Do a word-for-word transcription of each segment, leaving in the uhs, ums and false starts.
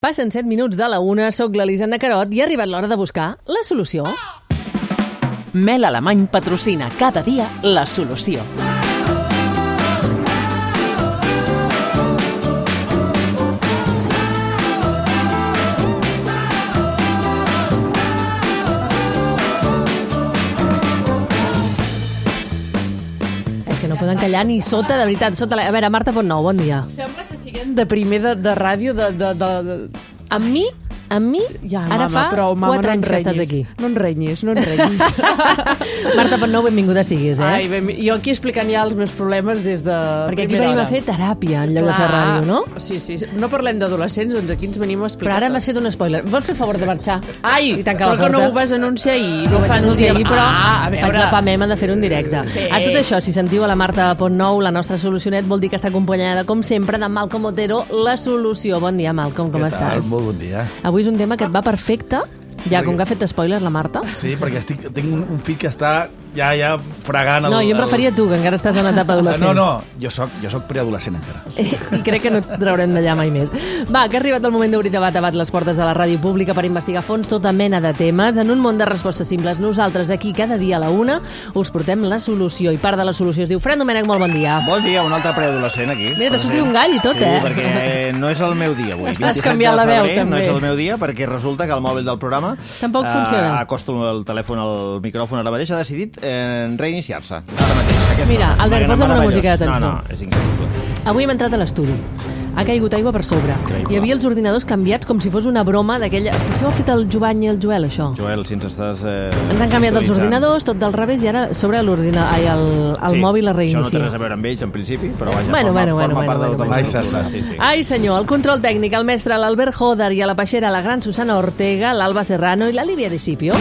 Passen set minuts de la una, soc l'Elisenda Carot i ha arribat l'hora de buscar la solució. Mel Alemany patrocina cada dia la solució. És que no poden callar ni sota, de veritat. Sota la... A veure, Marta Pontnou, bon dia. Sembla que siguem de primer de, de ràdio de, de, de, de... Amb mi, amb mi, ja, ara mama, fa prou, mama, quatre no anys que estàs aquí. No en renyis, no en renyis. Marta Pontnou, benvinguda siguis, eh? Ai, ben, jo aquí explicant ja els meus problemes des de Perquè aquí primera venim hora. a fer teràpia en lloc de fer ràdio, no? Sí, sí, no parlem d'adolescents, doncs aquí ens venim a explicar. Però ara tot. m'has fet un spoiler. Vols fer favor de marxar? Ai, I tancar la però que no porta? ho vas anunciar ahir. Sí, No ho vaig fas el anunciar dia... ahir, però Ah, a faig veure... la pamema de fer-ho en directe. Sí. A tot això, si sentiu a la Marta Pontnou, la nostra solucionet, vol dir que està acompanyada, com sempre, de Malcom Otero, la solució. Bon dia, Malcom, com Què tal? estàs? Molt bon dia. Avui és un tema que et va perfecte, ja com que ha fet spoiler la Marta. Sí, perquè estic, tinc un, un fill que està ja ja fregant... El, No, jo em el- referia a tu, que encara estàs en una etapa adolescent. No, no, jo soc, jo soc preadolescent encara. I crec que no et traurem d'allà mai més. Va, que ha arribat el moment d'obrir de bat a bat les portes de la ràdio pública per investigar a fons tota mena de temes. En un món de respostes simples, nosaltres aquí cada dia a la una us portem la solució. I part de la solució es diu Fran Domènech, molt bon dia. Bon dia, un altre preadolescent aquí. Mira, t'ha sortit un gall i tot, sí, eh? perquè no és el meu dia avui. Estàs vint-i-set canviant de la veu, febrer, també. No és el meu dia perquè resulta que el mòbil del programa... Tampoc funciona. Acosto el telèfon al micròfon ara mateix, ha decidit eh, reiniciar-se. Ara mateix. Aquesta Mira, hora. Albert, M'ha posa'm una meravellós. música de tensió. No, no, és increïble. Avui hem entrat a l'estudi. Ha caigut aigua per sobre. Increïble. Hi havia els ordinadors canviats com si fos una broma d'aquella... Potser ho ha fet el Jovany i el Joel, això. Joel, si ens estàs... Eh, Ens han canviat els sintonitzant. ordinadors, tot del revés, i ara sobre l'ordinador, ai, el, el Sí, mòbil es Això no té reinicia. res a veure amb ells, en principi, però vaja, Bueno, forma, bueno, bueno, forma bueno, part de bueno, tota bueno. la Ai, estructura. se Sí, sí. Ai, senyor, el control tècnic, el mestre, l'Albert Joder i a la peixera, la gran Susana Ortega, l'Alba Serrano i la Lívia Discipio.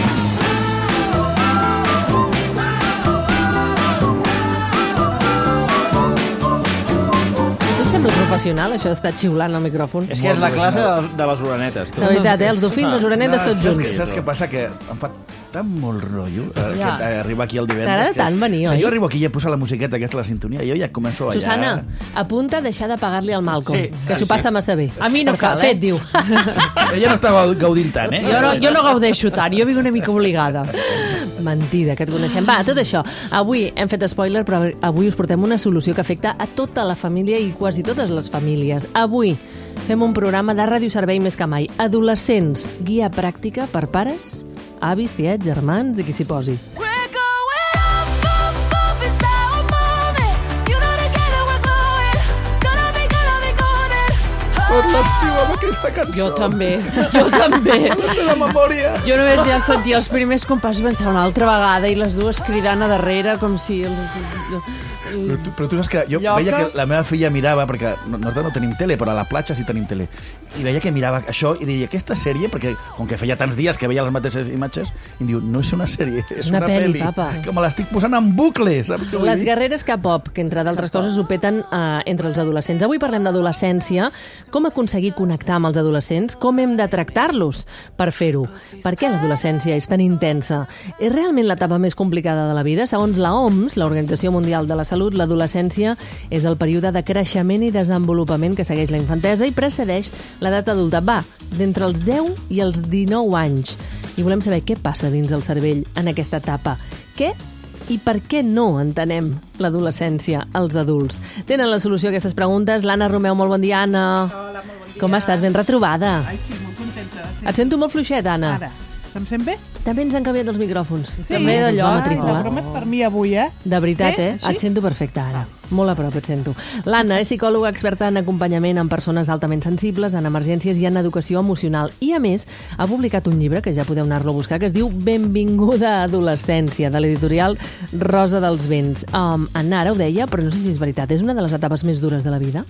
Tu et sembla professional, això d'estar xiulant al micròfon? És que és la classe de, de les uranetes. Tu. De veritat, eh? Els dofins, les orenetes, tots saps, junts. què, saps què passa? Que em fa tan molt rotllo eh, Ja. que, eh, arribar aquí el divendres. T'agrada que- tant venir, o sigui, oi? Jo arribo aquí i ja posa la musiqueta aquesta, la sintonia, i jo ja començo a ballar. Susana, apunta a deixar de pagar-li al Malcolm, Sí, que s'ho sí. passa massa bé. A mi no Per cal, Fet, eh? diu. Ella no estava gaudint tant, eh? Jo no, jo no gaudeixo tant, jo vinc una mica obligada. Mentida, que et coneixem. Va, tot això. Avui hem fet spoiler, però avui us portem una solució que afecta a tota la família i quasi totes les famílies. Avui fem un programa de radioservei més que mai. Adolescents, guia pràctica per pares, avis, tiets, germans i qui s'hi posi. We're going up, up, up inside our moment. You know together we're glowing. Gonna be, gonna be golden. Tot l'estiu amb aquesta cançó. Jo també, jo també. No sé de memòria. Jo només ja sentia els primers compassos pensar una altra vegada i les dues cridant a darrere com si... Els... Però tu, però tu saps que jo Lloques. veia que la meva filla mirava, perquè no- nosaltres no tenim tele, però a la platja sí tenim tele, i veia que mirava això i deia, aquesta sèrie, perquè com que feia tants dies que veia les mateixes imatges, i em diu, no és una sèrie, és una una, pel·li, pel·li, papa. que me l'estic posant en bucle, saps què vull Les dir? guerreres K-pop, que entre d'altres coses ho peten eh, entre els adolescents. Avui parlem d'adolescència, com aconseguir connectar amb els adolescents, com hem de tractar-los per fer-ho. Per què l'adolescència és tan intensa? És realment l'etapa més complicada de la vida? Segons la O M S, l'Organització Mundial de la Salut, l'adolescència és el període de creixement i desenvolupament que segueix la infantesa i precedeix l'edat adulta. Va, d'entre els deu i els dinou anys. I volem saber què passa dins el cervell en aquesta etapa. Què i per què no entenem l'adolescència als adults? Tenen la solució a aquestes preguntes. L'Anna Romeu, molt bon dia, Anna. Hola, molt bon dia. Com estàs? Ben retrobada. Ai, sí, molt contenta. Sí. Et sento molt fluixet, Anna. Ara, se'm sent bé? També ens han canviat els micròfons. També d'allò, La Ai, matrícula. la broma és per mi avui, eh? De veritat, Bé, eh? així? Et sento perfecte ara. Molt a prop et sento. L'Anna és psicòloga experta en acompanyament amb persones altament sensibles, en emergències i en educació emocional. I, a més, ha publicat un llibre, que ja podeu anar-lo a buscar, que es diu Benvinguda a adolescència, de l'editorial Rosa dels Vents. Um, Anna, ara ho deia, però no sé si és veritat. És una de les etapes més dures de la vida?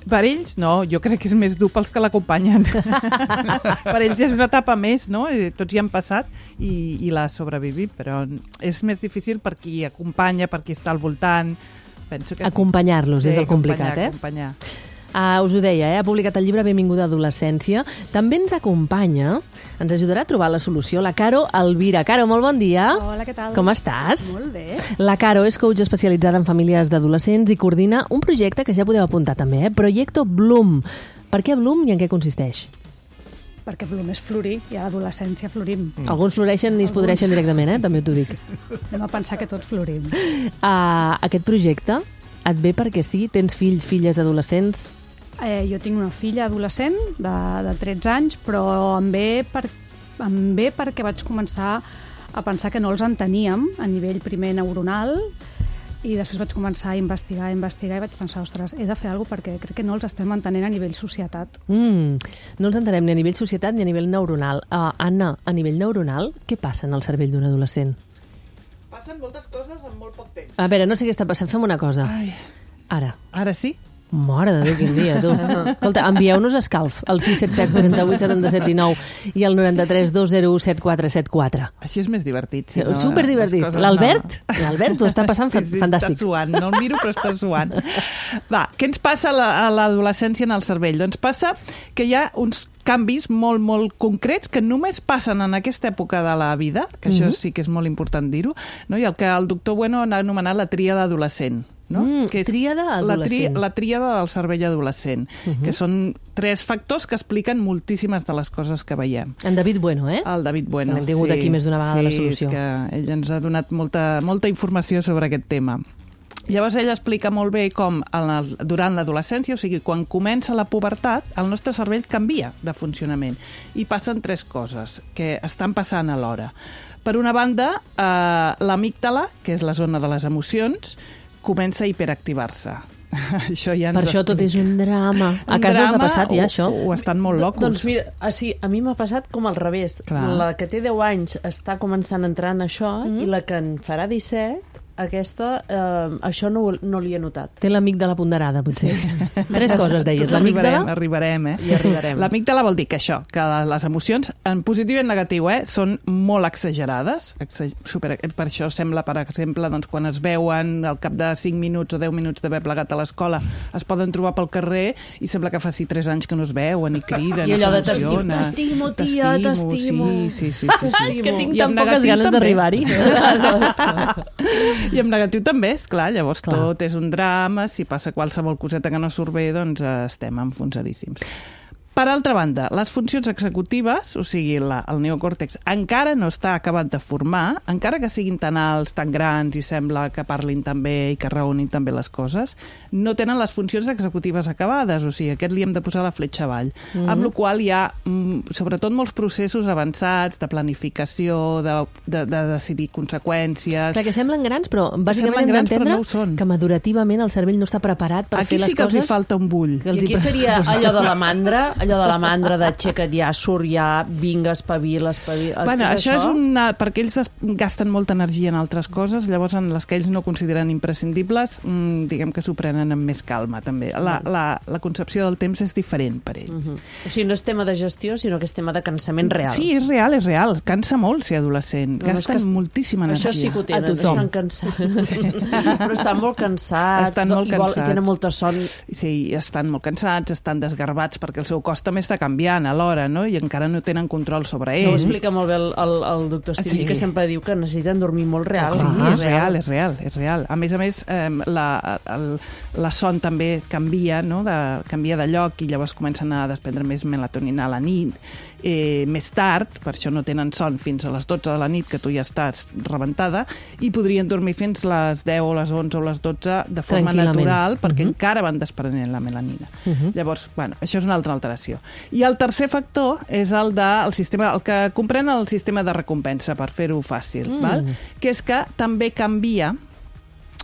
Per ells, no. Jo crec que és més dur pels que l'acompanyen. Per ells és una etapa més, no? Eh, Tots hi han passat i, i la sobrevivim, però és més difícil per qui acompanya, per qui està al voltant. Penso que sí. Acompanyar-los és el complicat, eh? Acompanyar. Uh, us ho deia, eh? Ha publicat el llibre Benvinguda a adolescència. També ens acompanya, ens ajudarà a trobar la solució, la Caro Alvira. Caro, molt bon dia. Hola, què tal? Com estàs? Molt bé. La Caro és coach especialitzada en famílies d'adolescents i coordina un projecte que ja podeu apuntar també, eh? Projecto Bloom. Per què Bloom i en què consisteix? Perquè Bloom és florir, i a l'adolescència florim. Mm. Alguns floreixen i es podreixen directament, eh? També t'ho dic. Anem a pensar que tots florim. Uh, aquest projecte et ve perquè sí? Tens fills, filles adolescents? Eh, jo tinc una filla adolescent de, de tretze anys, però em ve, per, em ve perquè vaig començar a pensar que no els enteníem a nivell primer neuronal, i després vaig començar a investigar, a investigar, i vaig pensar, ostres, he de fer alguna cosa perquè crec que no els estem entenent a nivell societat. Mm, no els entenem ni a nivell societat ni a nivell neuronal. Uh, Anna, a nivell neuronal, què passa en el cervell d'un adolescent? Passen moltes coses en molt poc temps. A veure, no sé què està passant, fem una cosa. Ai. Ara. Ara sí? Mare de Déu, quin dia, tu. Escolta, envieu-nos escalf al sis set set, trenta vuit, setanta set, dinou i al noranta-tres, dos zero u, set quatre set quatre. Així és més divertit. Si no, superdivertit. les coses L'Albert, no. l'Albert ho està passant fa- Sí, sí, fantàstic. Està suant, no el miro però està suant. Va, què ens passa a la- a l'adolescència en el cervell? Doncs passa que hi ha uns canvis molt, molt concrets que només passen en aquesta època de la vida, que això Mhm. sí que és molt important dir-ho, no? I el que el doctor Bueno ha anomenat la tríada adolescent. No? Mm, que és tríada la, adolescent. tri, la tríada del cervell adolescent, Mhm. que són tres factors que expliquen moltíssimes de les coses que veiem. En David Bueno, eh? El David Bueno. Que l'hem tingut aquí més d'una vegada sí, a la solució. És que ell ens ha donat molta, molta informació sobre aquest tema. Llavors ell explica molt bé com en el, durant l'adolescència, o sigui, quan comença la pubertat, el nostre cervell canvia de funcionament i passen tres coses que estan passant alhora. Per una banda, eh, l'amígdala, que és la zona de les emocions, comença a hiperactivar-se. Això ja ens Per això tot és explica. un drama. A Un casa us ha drama passat ja, o, això? O estan molt locos. Doncs mira, ah, sí, a mi m'ha passat com al revés. Clar. La que té deu anys està començant a entrar en això, Mhm. i la que en farà disset, aquesta, eh, això no, no li he notat. Té l'amígdala ponderada, potser. Tres coses, deies. Tot arribarem, L'amígdala... arribarem, eh? Hi arribarem. L'amígdala vol dir que això, que les emocions, en positiu i en negatiu, eh, són molt exagerades. Exa super, per això sembla, per exemple, doncs, quan es veuen al cap de cinc minuts o deu minuts d'haver plegat a l'escola, es poden trobar pel carrer i sembla que faci tres anys que no es veuen i criden. I allò de s'emociona. t'estimo, tia, t'estimo. Sí, sí, sí. sí, sí. És que tinc I en tan poques negatiu ganes també. d'arribar-hi. I en negatiu també, és clar, llavors Clar. tot és un drama, si passa qualsevol coseta que no surt bé, doncs eh, estem enfonsadíssims. Per altra banda, les funcions executives, o sigui, la, el neocòrtex, encara no està acabat de formar, encara que siguin tan alts, tan grans i sembla que parlin tan bé i que raonin tan bé les coses, no tenen les funcions executives acabades, o sigui, aquest li hem de posar la fletxa avall. Mm -hmm. Amb la qual hi ha, mm, sobretot, molts processos avançats de planificació, de, de, de decidir conseqüències... Clar, que semblen grans, però bàsicament Semblen hem grans, però d'entendre no ho són. que madurativament el cervell no està preparat per Aquí fer les sí que els coses... hi falta un bull. que els I aquí hi- seria allò de la mandra, allò de la mandra d'aixeca't ja, surt ja, vinga, espavila, espavila... Bueno, és això, això és una... perquè ells es- gasten molta energia en altres coses, llavors en les que ells no consideren imprescindibles, mmm, diguem que s'ho prenen amb més calma, també. La, la, la concepció del temps és diferent per ells. Uh -huh. O sigui, no és tema de gestió, sinó que és tema de cansament real. Sí, és real, és real. Cansa molt ser adolescent. No, no, és Gasten que es- moltíssima energia. Això sí que ho tenen, A tothom. estan cansats. Sí. Però estan molt cansats. Estan molt i, vol, cansats. I tenen molta son. Sí, estan molt cansats, estan desgarbats perquè el seu cos també està canviant alhora, no? I encara no tenen control sobre Això ho ell. explica molt bé el, el, el doctor Estivill, Sí. que sempre diu que necessiten dormir molt real. Sí, Ah, és real, és real, és real. A més a més, eh, la, el, la son també canvia, no? de, canvia de lloc i llavors comencen a desprendre més melatonina a la nit. Eh, més tard, per això no tenen son fins a les dotze de la nit, que tu ja estàs rebentada, i podrien dormir fins les deu o les onze o les dotze de forma Tranquil·lament. natural, perquè Mhm. encara van desprenent la melanina. Mhm. Llavors, bueno, això és una altra alteració. I el tercer factor és el de el sistema, el que comprèn el sistema de recompensa, per fer-ho fàcil, Mm. val? Que és que també canvia.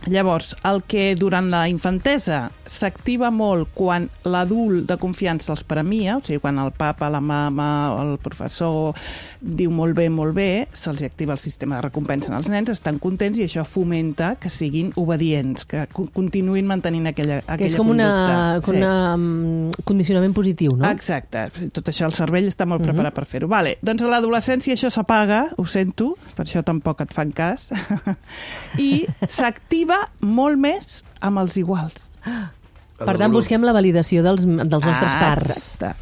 Llavors, el que durant la infantesa s'activa molt quan l'adult de confiança els premia, o sigui, quan el papa, la mama, el professor diu molt bé, molt bé, se'ls activa el sistema de recompensa en els nens, estan contents i això fomenta que siguin obedients, que co- continuïn mantenint aquella, aquella Que és com una, conducta. com Sí. una um, condicionament positiu, no? Exacte, tot això el cervell està molt Mhm. preparat per fer-ho. Vale, doncs a l'adolescència això s'apaga, ho sento, per això tampoc et fan cas, i s'activa molt més amb els iguals. Per tant, busquem la validació dels, dels nostres Ah, pares. Exacte.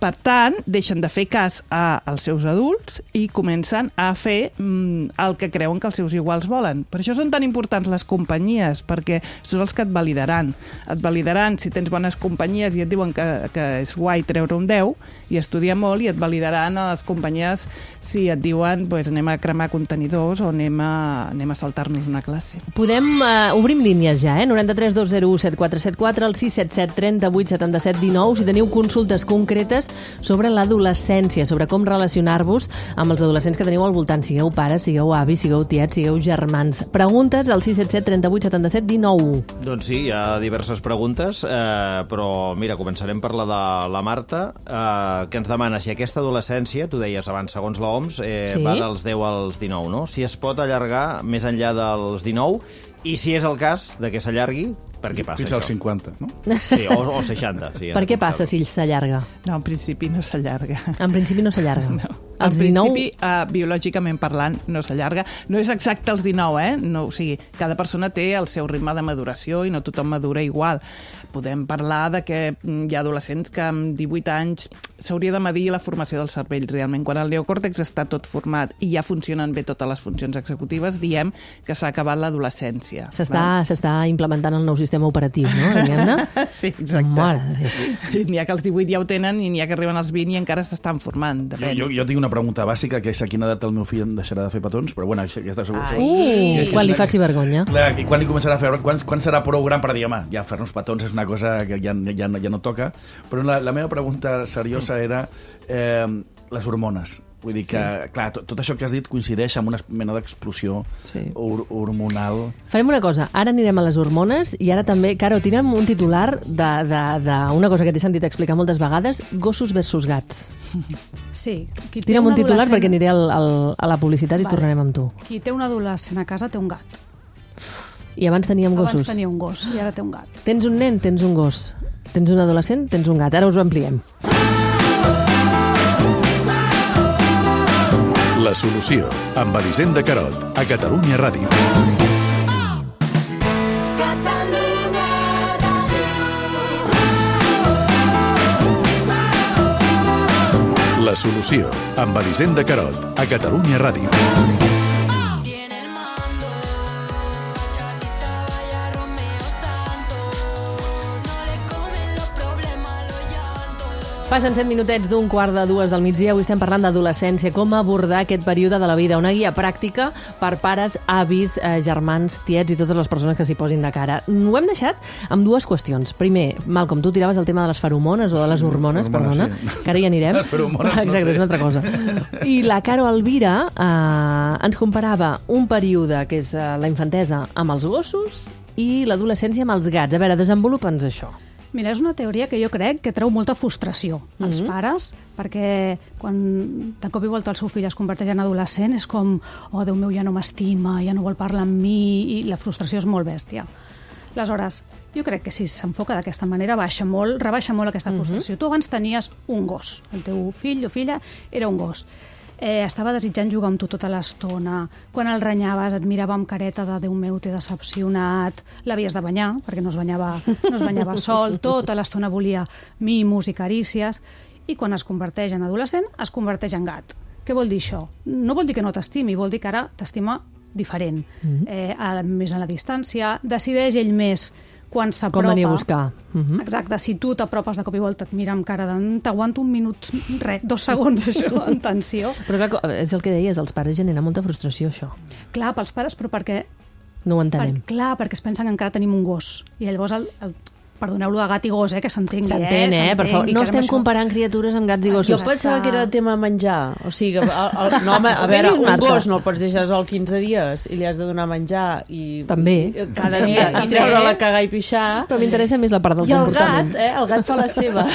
Per tant, deixen de fer cas a, als seus adults i comencen a fer mm, el que creuen que els seus iguals volen. Per això són tan importants les companyies, perquè són els que et validaran. Et validaran si tens bones companyies i et diuen que, que és guai treure un deu i estudiar molt, i et validaran a les companyies si et diuen pues, anem a cremar contenidors o anem a, anem a saltar-nos una classe. Podem, uh, obrim línies ja, eh? noranta-tres dos zero u set quatre set quatre, el sis set set trenta-vuit setanta-set dinou, si teniu consultes concretes sobre l'adolescència, sobre com relacionar-vos amb els adolescents que teniu al voltant, sigueu pares, sigueu avis, sigueu tiets, sigueu germans. Preguntes al sis set set trenta-vuit setanta-set dinou. Doncs sí, hi ha diverses preguntes, eh, però mira, començarem per la de la Marta, eh, que ens demana si aquesta adolescència, tu deies abans, segons l'O M S, eh, Sí. va dels deu als dinou, no? Si es pot allargar més enllà dels dinou, i si és el cas de que s'allargui, per què passa Fins això? als cinquanta, no? Sí, o, o seixanta. Sí, Per què passa si s'allarga? No, en principi no s'allarga. En principi no s'allarga. No. Els En dinou... principi, uh, biològicament parlant, no s'allarga. No és exacte els dinou, eh? No, o sigui, cada persona té el seu ritme de maduració i no tothom madura igual. Podem parlar de que mm, hi ha adolescents que amb divuit anys s'hauria de medir la formació del cervell. Realment, quan el neocòrtex està tot format i ja funcionen bé totes les funcions executives, diem que s'ha acabat l'adolescència. S'està s'està implementant el nou sistema operatiu, no? Diguem-ne. Sí, exacte. Mare de Déu. N'hi ha que als divuit ja ho tenen i n'hi ha que arriben als vint i encara s'estan formant. Jo, Depèn. jo, jo tinc una pregunta bàsica, que és a quina edat el meu fill em deixarà de fer petons, però bueno, aquesta segur... segur. Uh, quan li faci vergonya. Clar, i quan li començarà a fer... Quan, quan serà prou gran per dir, home, ja fer-nos petons és una cosa que ja, ja, ja no toca. Però la, la meva pregunta seriosa era eh, les hormones. Vull dir que, sí. clar, tot, tot això que has dit coincideix amb una mena d'explosió Sí. hor hormonal. Farem una cosa, ara anirem a les hormones i ara també, Caro, tira'm un titular d'una cosa que t'he sentit explicar moltes vegades, gossos versus gats. Sí. Qui té Tira'm un titular adolescent- perquè aniré al, al, a la publicitat i Vale. tornarem amb tu. Qui té un adolescent a casa té un gat. I abans teníem gossos. Abans tenia un gos i ara té un gat. Tens un nen, tens un gos. Tens un adolescent, tens un gat. Ara us ho ampliem. La solució, amb Elisenda Carot, a Catalunya Ràdio. La solució, amb Elisenda Carot, a Catalunya Ràdio. Tiene el mando, chatita vaya Romeo Santos, no le comen los problemas, los llantos. Passen set minutets d'un quart de dues del migdia. Avui estem parlant d'adolescència, com abordar aquest període de la vida. Una guia pràctica per pares, avis, eh, germans, tiets i totes les persones que s'hi posin de cara. Ho hem deixat amb dues qüestions. Primer, Malcom, tu tiraves el tema de les feromones o de les hormones, hormones, perdona, sí. que ara hi anirem. Les feromones, no Exacte, sé. és una altra cosa. I la Caro Elvira eh, ens comparava un període que és eh, la infantesa amb els gossos i l'adolescència amb els gats. A veure, desenvolupa'ns això. Mira, és una teoria que jo crec que treu molta frustració als Mhm. pares, perquè quan de cop i volta el seu fill es converteix en adolescent és com, oh, Déu meu, ja no m'estima, ja no vol parlar amb mi, i la frustració és molt bèstia. Aleshores, jo crec que si s'enfoca d'aquesta manera baixa molt, rebaixa molt aquesta frustració. Tu abans tenies un gos, el teu fill o filla era un gos. Eh, estava desitjant jugar amb tu tota l'estona. Quan el renyaves et mirava amb careta de Déu meu, t'he decepcionat. L'havies de banyar, perquè no es banyava, no es banyava sol. Tota l'estona volia mimos i carícies. I quan es converteix en adolescent, es converteix en gat. Què vol dir això? No vol dir que no t'estimi, vol dir que ara t'estima diferent. Mhm. eh, a, més a la distància. Decideix ell més quan s'apropa. Com venir a buscar. Mhm. Exacte, si tu t'apropes de cop i volta, et mira amb cara de t'aguanto un minut, res, dos segons, això, en tensió. Però clar, co- és el que deies, els pares generen molta frustració, això. Clar, pels pares, però perquè... No ho Per, entenem. clar, perquè es pensen que encara tenim un gos. I llavors, el, el, perdoneu-lo de gat i gos, eh, que s'entengui, S'entén, eh? Per favor. s'entengui, No que estem això- comparant criatures amb gats i gossos. Jo Exacte. pensava que era tema menjar. O sigui, que, el, el, no, home, a veure, Ben dit, un Marta. gos no el pots deixar sol quinze dies i li has de donar menjar i, També. i cada dia i treure-la a cagar i pixar. Però m'interessa més la part del I el comportament. gat, eh? El gat fa la seva.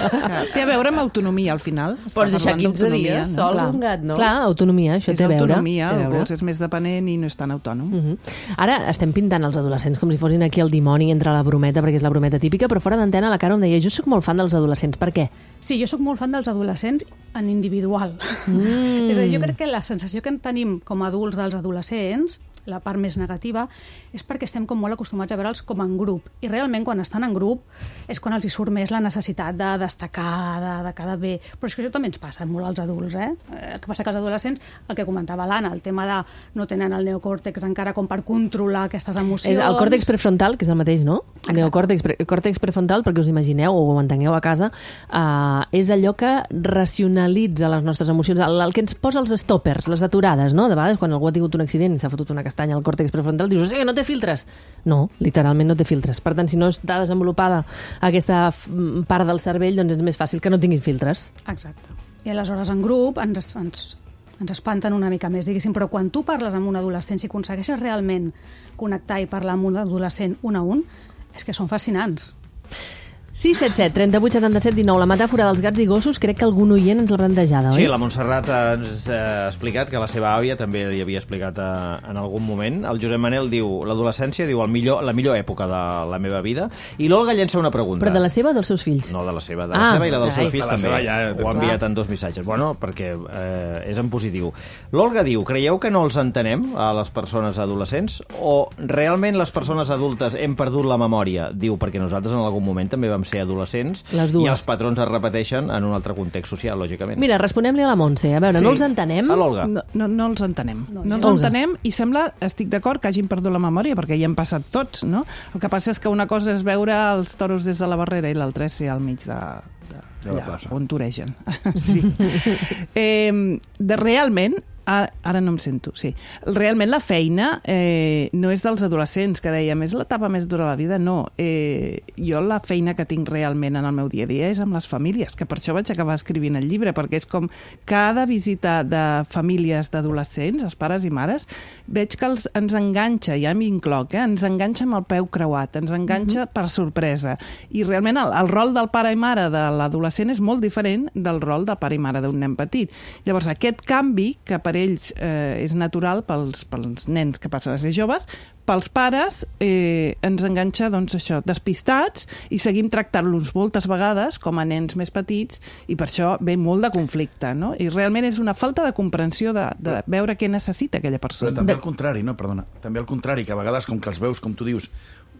Té a veure amb autonomia, al final. Està Pots deixar parlant quinze d'autonomia, dies no? sols Clar. un gat, no? Clar, autonomia, això És té a veure. autonomia, té a el veure. gos és més dependent i no és tan autònom. Mhm. Ara estem pintant els adolescents com si fossin aquí el dimoni entre la brometa, perquè és la brometa típica, però fora d'antena la Caro em deia, jo sóc molt fan dels adolescents, per què? Sí, jo sóc molt fan dels adolescents en individual. Mm. És a dir, jo crec que la sensació que en tenim com a adults dels adolescents la part més negativa, és perquè estem com molt acostumats a veure'ls com en grup. I realment, quan estan en grup, és quan els hi surt més la necessitat de destacar, de, de quedar bé. Però és que això també ens passa molt als adults, eh? El que passa que els adolescents, el que comentava l'Anna, el tema de no tenen el neocòrtex encara com per controlar aquestes emocions. És el còrtex prefrontal, que és el mateix, no? El neocòrtex pre còrtex prefrontal, perquè us imagineu o ho entengueu a casa, eh, és allò que racionalitza les nostres emocions, el, el que ens posa els stoppers, les aturades, no? De vegades, quan algú ha tingut un accident i s'ha fotut una castanya al còrtex prefrontal, dius, o sigui, no té filtres. No, literalment no té filtres. Per tant, si no està desenvolupada aquesta part del cervell, doncs és més fàcil que no tinguis filtres. Exacte. I aleshores en grup ens, ens, ens espanten una mica més, diguéssim, però quan tu parles amb un adolescent, si aconsegueixes realment connectar i parlar amb un adolescent un a un, és que són fascinants. sis set set, trenta-vuit, setanta-set, dinou. La metàfora dels gats i gossos crec que algun oient ens l'ha plantejada, oi? Sí, la Montserrat ens ha explicat que la seva àvia també li havia explicat a, en algun moment. El Josep Manel diu, l'adolescència, diu, el millor, la millor època de la meva vida. I l'Olga llença una pregunta. Però de la seva o dels seus fills? No, de la seva. De la ah, seva i la dels carai. seus fills també. Seva, ja, ho ha enviat en dos missatges. Bueno, perquè eh, és en positiu. L'Olga diu, creieu que no els entenem, a les persones adolescents? O realment les persones adultes hem perdut la memòria? Diu, perquè nosaltres en algun moment també vam ser adolescents les dues. I els patrons es repeteixen en un altre context social, lògicament. Mira, responem-li a la Montse. A veure, Sí. no els entenem? A l'Olga. No, no, no els entenem. No, No, no els els- entenem i sembla, estic d'acord, que hagin perdut la memòria, perquè hi hem passat tots, no? El que passa és que una cosa és veure els toros des de la barrera i l'altra és ser al mig de, de, De la allà, plaça. on toregen. Sí. eh, de, realment, ara, ara no em sento, sí. Realment la feina eh, no és dels adolescents, que dèiem, és l'etapa més dura de la vida, no. Eh, jo la feina que tinc realment en el meu dia a dia és amb les famílies, que per això vaig acabar escrivint el llibre, perquè és com cada visita de famílies d'adolescents, els pares i mares, veig que els, ens enganxa, ja m'hi incloc, eh? ens enganxa amb el peu creuat, ens enganxa mm-hmm. per sorpresa. I realment el, el rol del pare i mare de l'adolescent és molt diferent del rol del pare i mare d'un nen petit. Llavors, aquest canvi, que per ells eh, és natural pels, pels nens que passen a ser joves, pels pares eh, ens enganxa, doncs, això, despistats, i seguim tractant-los moltes vegades com a nens més petits, i per això ve molt de conflicte, no? I realment és una falta de comprensió de, de veure què necessita aquella persona. Però també al contrari, no? Perdona. També al contrari, que a vegades, com que els veus, com tu dius,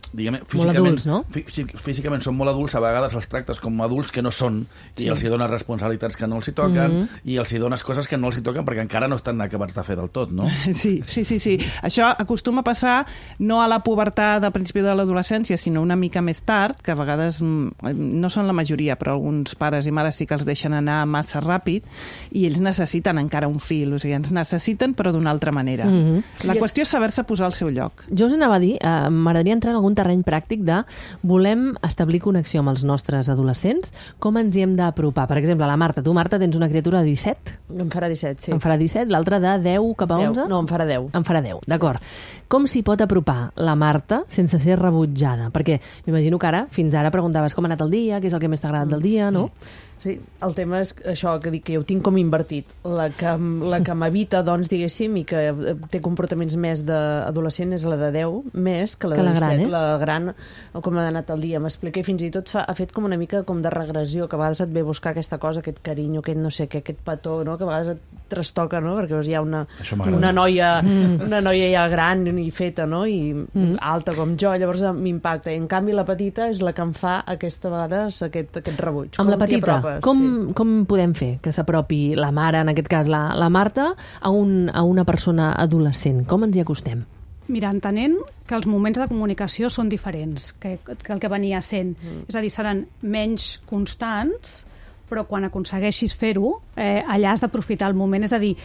diguem, Molt físicament, adults, no? fí físicament són molt adults, a vegades els tractes com adults que no són, i Sí. els hi dones responsabilitats que no els hi toquen, Mhm. i els hi dones coses que no els hi toquen perquè encara no estan acabats de fer del tot, no? Sí, sí, sí, sí. Això acostuma a passar no a la pubertat al principi de l'adolescència, sinó una mica més tard, que a vegades mm, no són la majoria, però alguns pares i mares sí que els deixen anar massa ràpid i ells necessiten encara un fil, o sigui, ens necessiten però d'una altra manera. Mhm. La qüestió és saber-se posar al seu lloc. Jo us anava a dir, eh, m'agradaria entrar en algun terreny pràctic de volem establir connexió amb els nostres adolescents, com ens hi hem d'apropar? Per exemple, la Marta, tu, Marta, tens una criatura de disset? Em farà disset, sí. En farà disset, l'altra de deu cap a deu. onze? No, em farà deu. En farà deu, d'acord. Com s'hi pot apropar la Marta sense ser rebutjada? Perquè m'imagino que ara, fins ara, preguntaves com ha anat el dia, què és el que més t'ha agradat del dia, no? Sí, el tema és això, que dic que jo ho tinc com invertit. La que, la que m'evita, doncs, diguéssim, i que té comportaments més d'adolescent és la de deu, més que la Que de la gran, disset. eh? La gran, com ha anat el dia, m'explica, i fins i tot fa, ha fet com una mica com de regressió, que a vegades et ve a buscar aquesta cosa, aquest carinyo, aquest no sé què, aquest petó, no? Que a vegades et trastoca, no? Perquè veus, hi ha una, Això m'agrada. una, noia, una noia ja gran i feta, no? I Mm. alta com jo, llavors m'impacta. I en canvi la petita és la que em fa aquesta vegades aquest, aquest rebuig. Amb la Com t'hi petita, apropes? com, Sí. com podem fer que s'apropi la mare, en aquest cas la, la Marta, a, un, a una persona adolescent? Com ens hi acostem? Mira, entenent que els moments de comunicació són diferents que, que el que venia sent. Mm. És a dir, seran menys constants, però quan aconsegueixis fer-ho, eh, allà has d'aprofitar el moment. És a dir,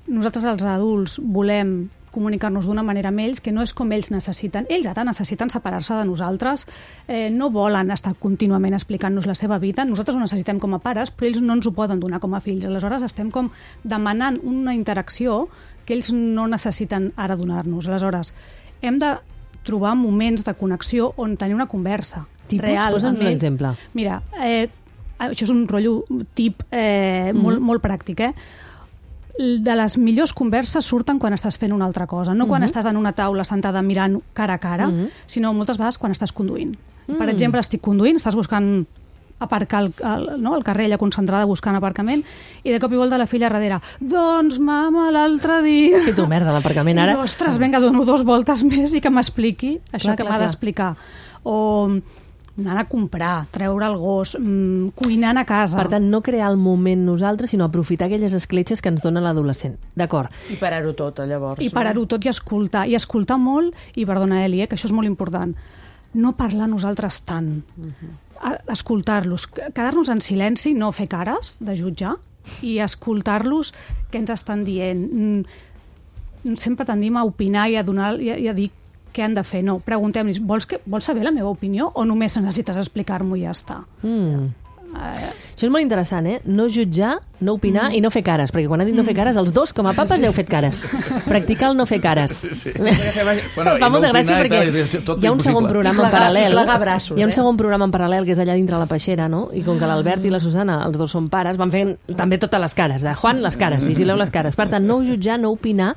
nosaltres els adults volem comunicar-nos d'una manera amb ells que no és com ells necessiten. Ells ara necessiten separar-se de nosaltres, eh, no volen estar contínuament explicant-nos la seva vida, nosaltres ho necessitem com a pares, però ells no ens ho poden donar com a fills. Aleshores estem com demanant una interacció que ells no necessiten ara donar-nos. Aleshores, hem de trobar moments de connexió on tenir una conversa Tipus? real. Posa'ns amb un ells. exemple. Mira, eh, això és un rotllo tip eh, mm-hmm. molt, molt pràctic, eh? De les millors converses surten quan estàs fent una altra cosa, no quan Mhm. estàs en una taula sentada mirant cara a cara, Mhm. sinó moltes vegades quan estàs conduint. Per Mm. exemple, estic conduint, estàs buscant aparcar al, al, no, al carrer, ella concentrada buscant aparcament, i de cop i volta la filla darrere, doncs mama, l'altre dia... Que tu merda, l'aparcament ara... I, ostres, vinga, dono dos voltes més i que m'expliqui això Clar, que clar, m'ha clar. d'explicar. O anar a comprar, treure el gos, mmm, cuinant a casa. Per tant, no crear el moment nosaltres, sinó aprofitar aquelles escletxes que ens dona l'adolescent. D'acord. I parar-ho tot, llavors. I parar-ho tot i escoltar. I escoltar molt, i perdona, Eli, eh, que això és molt important, no parlar nosaltres tant. Uh-huh. Escoltar-los, quedar-nos en silenci, no fer cares de jutjar, i escoltar-los què ens estan dient. Mm, sempre tendim a opinar i a, donar, i a, i a dir què han de fer. No, preguntem-los, vols, que, vols saber la meva opinió o només necessites explicar-m'ho i ja està? Mm. Uh... Això és molt interessant, eh? No jutjar, no opinar mm. i no fer cares, perquè quan ha dit no fer cares, els dos, com a papes, sí. heu fet cares. Practicar el no fer cares. Sí, sí. Bueno, fa molta no gràcia perquè tal, hi ha un segon programa plegar, en paral·lel. plegar braços, hi ha un eh? segon programa en paral·lel que és allà dintre la peixera, no? I com que l'Albert i la Susana, els dos són pares, van fent també totes les cares. De Juan, les cares, i Sileu, les cares. Per tant, no jutjar, no opinar,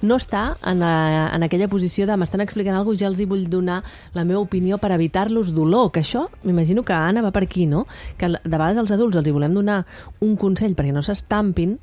no estar en, a, en aquella posició de m'estan explicant alguna cosa, ja els hi vull donar la meva opinió per evitar-los dolor, que això, m'imagino que Anna va per aquí, no? Que de vegades els adults els hi volem donar un consell perquè no s'estampin,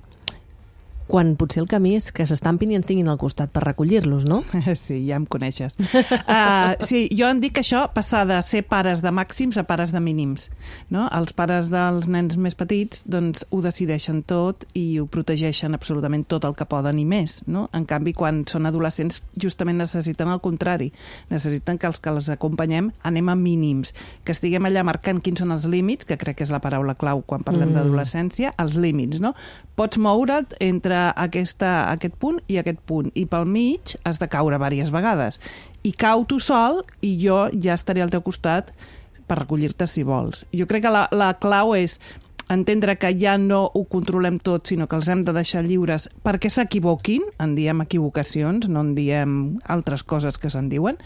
quan potser el camí és que s'estampin i ens tinguin al costat per recollir-los, no? Sí, ja em coneixes. Uh, sí, jo em dic que això passar de ser pares de màxims a pares de mínims. No? Els pares dels nens més petits doncs, ho decideixen tot i ho protegeixen absolutament tot el que poden i més. No? En canvi, quan són adolescents, justament necessiten el contrari. Necessiten que els que els acompanyem anem a mínims, que estiguem allà marcant quins són els límits, que crec que és la paraula clau quan parlem mm. d'adolescència, els límits. No? Pots moure't entre aquesta, aquest punt i aquest punt, i pel mig has de caure diverses vegades. I cau tu sol i jo ja estaré al teu costat per recollir-te si vols. Jo crec que la, la clau és entendre que ja no ho controlem tot, sinó que els hem de deixar lliures perquè s'equivoquin, en diem equivocacions, no en diem altres coses que se'n diuen,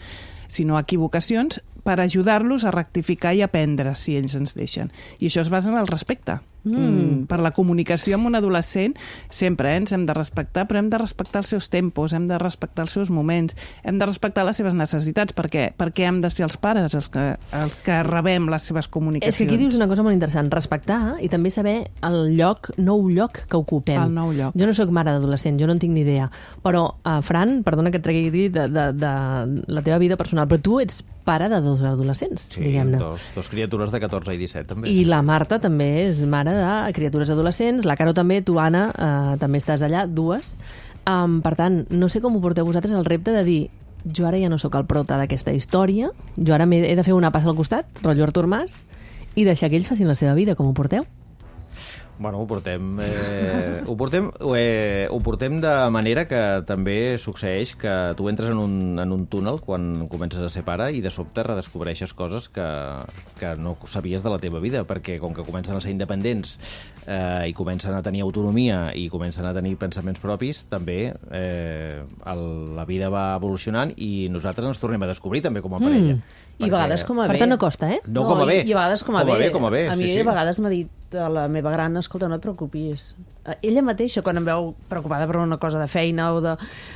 sinó equivocacions per ajudar-los a rectificar i aprendre si ells ens deixen. I això es basa en el respecte. Mm. Per la comunicació amb un adolescent sempre eh, ens hem de respectar, però hem de respectar els seus tempos, hem de respectar els seus moments, hem de respectar les seves necessitats, perquè, perquè hem de ser els pares els que, els que rebem les seves comunicacions. És que aquí dius una cosa molt interessant, respectar i també saber el lloc, nou lloc que ocupem. El nou lloc. Jo no sóc mare d'adolescent, jo no en tinc ni idea, però, uh, Fran, perdona que et tregui de, de, de la teva vida personal, però tu ets pare de dos adolescents, sí, diguem-ne. Dos, dos criatures de catorze i disset, també. I la Marta també és mare de criatures adolescents, la Caro també, tu, Anna, eh, també estàs allà, dues. Um, per tant, no sé com ho porteu vosaltres el repte de dir jo ara ja no sóc el prota d'aquesta història, jo ara he de fer una passa al costat, rotllo Artur Mas, i deixar que ells facin la seva vida. Com ho porteu? Bueno, ho portem, eh, ho, portem, eh, ho portem de manera que també succeeix que tu entres en un, en un túnel quan comences a ser pare i de sobte redescobreixes coses que, que no sabies de la teva vida, perquè com que comencen a ser independents eh, i comencen a tenir autonomia i comencen a tenir pensaments propis, també eh, el, la vida va evolucionant i nosaltres ens tornem a descobrir també com a parella. Mm. I a vegades com a bé. Per tant, no costa, eh? No, com a bé. I, i a vegades com a, com a bé. bé. Com a bé, a mi sí, sí. a vegades m'ha dit la meva gran, escolta, no et preocupis. Ella mateixa, quan em veu preocupada per una cosa de feina o de...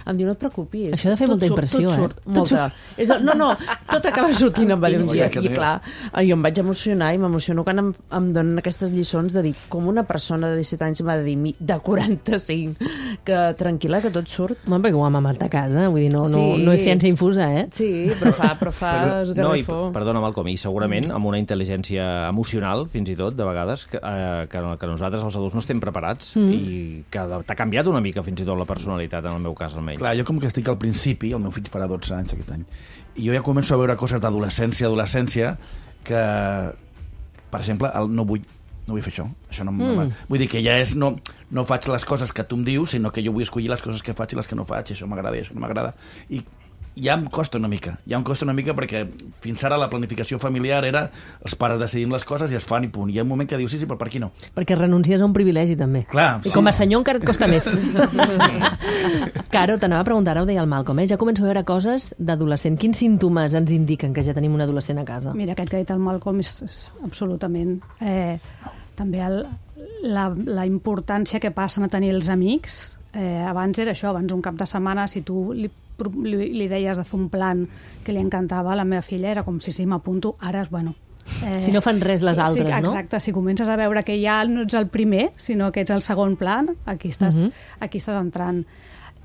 em diu, no et preocupis. Això ha de fer tot molta surt, impressió, tot eh? surt, eh? Molta. És el, no, no, tot acaba sortint amb ell un dia. I clar, jo em vaig emocionar i m'emociono quan em, em donen aquestes lliçons de dir com una persona de disset anys m'ha de dir mi, de quaranta-cinc, que tranquil·la, que tot surt. Bueno, perquè ho ha mamat a casa, vull dir, no, Sí. no, no és ciència infusa, eh? Sí, però fa, però fa No, i, esgarrifó. perdona, Malcom, i segurament amb una intel·ligència emocional, fins i tot, de vegades, que, eh, que, que nosaltres, els adults, no estem preparats mm. i que t'ha canviat una mica, fins i tot, la personalitat, en el meu cas, almenys. Clar, jo com que estic al principi, el meu fill farà dotze anys aquest any, i jo ja començo a veure coses d'adolescència, adolescència, que, per exemple, el, no vull no vull fer això, això no mm. vull dir que ja és, no, no faig les coses que tu em dius, sinó que jo vull escollir les coses que faig i les que no faig, i això m'agrada i això no m'agrada, i ja em costa una mica, ja em costa una mica perquè fins ara la planificació familiar era els pares decidim les coses i es fan i punt. I hi ha un moment que dius, sí, sí, però per aquí no. Perquè renuncies a un privilegi, també. Clar, I sí. com a senyor encara et costa més. Caro, t'anava a preguntar, ara ho deia el Malcom, eh? Ja començo a veure coses d'adolescent. Quins símptomes ens indiquen que ja tenim un adolescent a casa? Mira, aquest que ha dit el Malcom és, és absolutament... Eh, també el, la, la importància que passen a tenir els amics. Eh, abans era això, abans un cap de setmana, si tu li, li, li deies de fer un plan que li encantava a la meva filla, era com si sí, m'apunto, ara, bueno, Eh, Si no fan res les altres, sí, no? exacte, si comences a veure que ja no ets el primer, sinó que ets el segon plan, aquí estàs, Mhm. uh -huh. aquí estàs entrant.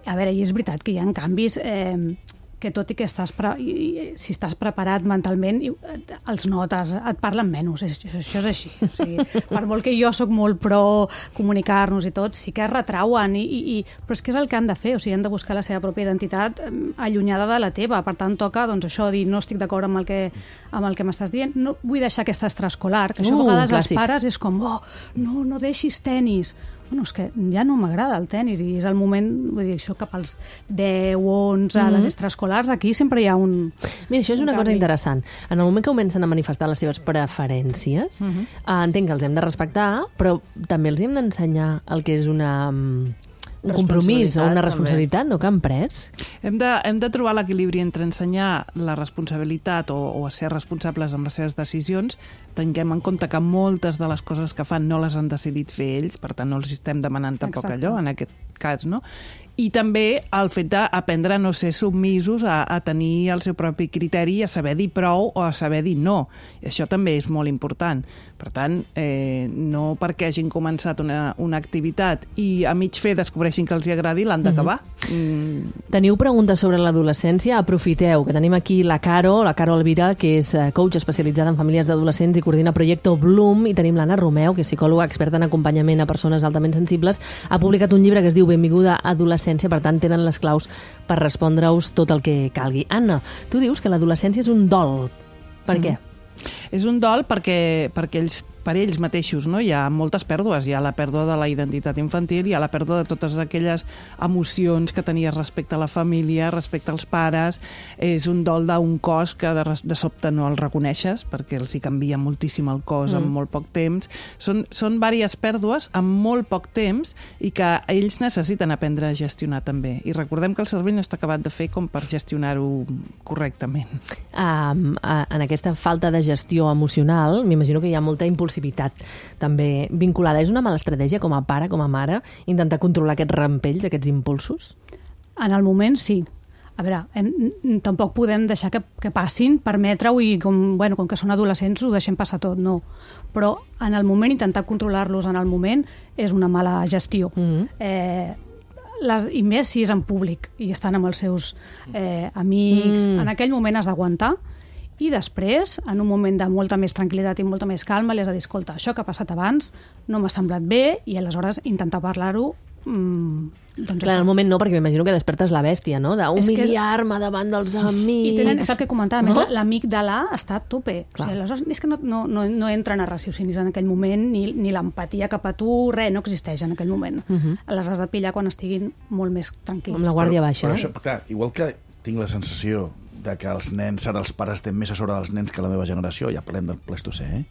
A veure, i és veritat que hi ha canvis eh, que tot i que estàs pre i, i, si estàs preparat mentalment, i, et, els notes, et parlen menys, és, això és així. O sigui, per molt que jo sóc molt pro comunicar-nos i tot, sí que es retrauen, i, i, i, però és que és el que han de fer, o sigui, han de buscar la seva pròpia identitat eh, allunyada de la teva, per tant toca doncs, això, dir no estic d'acord amb el que, amb el que m'estàs dient, no vull deixar aquest extraescolar, que això Uh, a vegades clàssic. els pares és com, oh, no, no deixis tenis. Bueno, és que ja no m'agrada el tenis i és el moment, vull dir, això cap als deu, onze, Mhm. les extraescolars, aquí sempre hi ha un... Mira, això és un una cosa canvi. interessant. En el moment que comencen a manifestar les seves preferències, Mhm. eh, entenc que els hem de respectar, però també els hem d'ensenyar el que és una, mm, un compromís o una Responsabilitat, responsabilitat, no?, que han pres. Hem de, hem de trobar l'equilibri entre ensenyar la responsabilitat o, o a ser responsables amb les seves decisions. Tinguem en compte que moltes de les coses que fan no les han decidit fer ells, per tant no els estem demanant tampoc Exacte. allò, en aquest cas, no? I també el fet d'aprendre a no ser submisos, a, a tenir el seu propi criteri, a saber dir prou o a saber dir no. I això també és molt important. Per tant, eh, no perquè hagin començat una, una activitat i a mig fer descobreixin que els hi agradi, l'han d'acabar. Mm, Teniu preguntes sobre l'adolescència? Aprofiteu, que tenim aquí la Caro, la Caro Elvira, que és eh, coach especialitzada en famílies d'adolescents i coordina Proyecto Bloom, i tenim l'Anna Romeu, que és psicòloga experta en acompanyament a persones altament sensibles. Ha publicat un llibre que es diu Benvinguda adolescència, per tant tenen les claus per respondre-us tot el que calgui. Anna, tu dius que l'adolescència és un dol. Per què? És un dol perquè, perquè ells, per ells mateixos, no? Hi ha moltes pèrdues. Hi ha la pèrdua de la identitat infantil, hi ha la pèrdua de totes aquelles emocions que tenies respecte a la família, respecte als pares. És un dol d'un cos que de, de sobte no el reconeixes perquè els hi canvia moltíssim el cos mm. en molt poc temps. Són, són diverses pèrdues en molt poc temps i que ells necessiten aprendre a gestionar també. I recordem que el cervell no està acabat de fer com per gestionar-ho correctament. Um, uh, en aquesta falta de gestió emocional, m'imagino que hi ha molta impulsivitat també vinculada. És una mala estratègia com a pare, com a mare, intentar controlar aquests rampells, aquests impulsos? En el moment, sí. A veure, hem, tampoc podem deixar que, que passin, permetre-ho i com, bueno, com que són adolescents ho deixem passar tot, no. Però en el moment, intentar controlar-los en el moment és una mala gestió. Mm-hmm. eh, les, I més si és en públic i estan amb els seus eh, amics. Mm. En aquell moment has d'aguantar i després, en un moment de molta més tranquil·litat i molta més calma, li has de dir, escolta, això que ha passat abans no m'ha semblat bé, i aleshores intentar parlar-ho. Mm, doncs Clar, en això. el moment no, perquè m'imagino que despertes la bèstia, no? D'humiliar-me davant dels amics. I tenen, és el que comentava, a més, No? l'amic de l'A està a tope. O sigui, aleshores, és que no, no, no, no entren a raciocinis en aquell moment, ni, ni l'empatia cap a tu, res, no existeix en aquell moment. Uh -huh. Les has de pillar quan estiguin molt més tranquils. Amb la guàrdia baixa. Però eh? això, clar, igual que tinc la sensació de que els nens, ara els pares tenen més a sobre dels nens que la meva generació, ja parlem del Pleistocè, eh?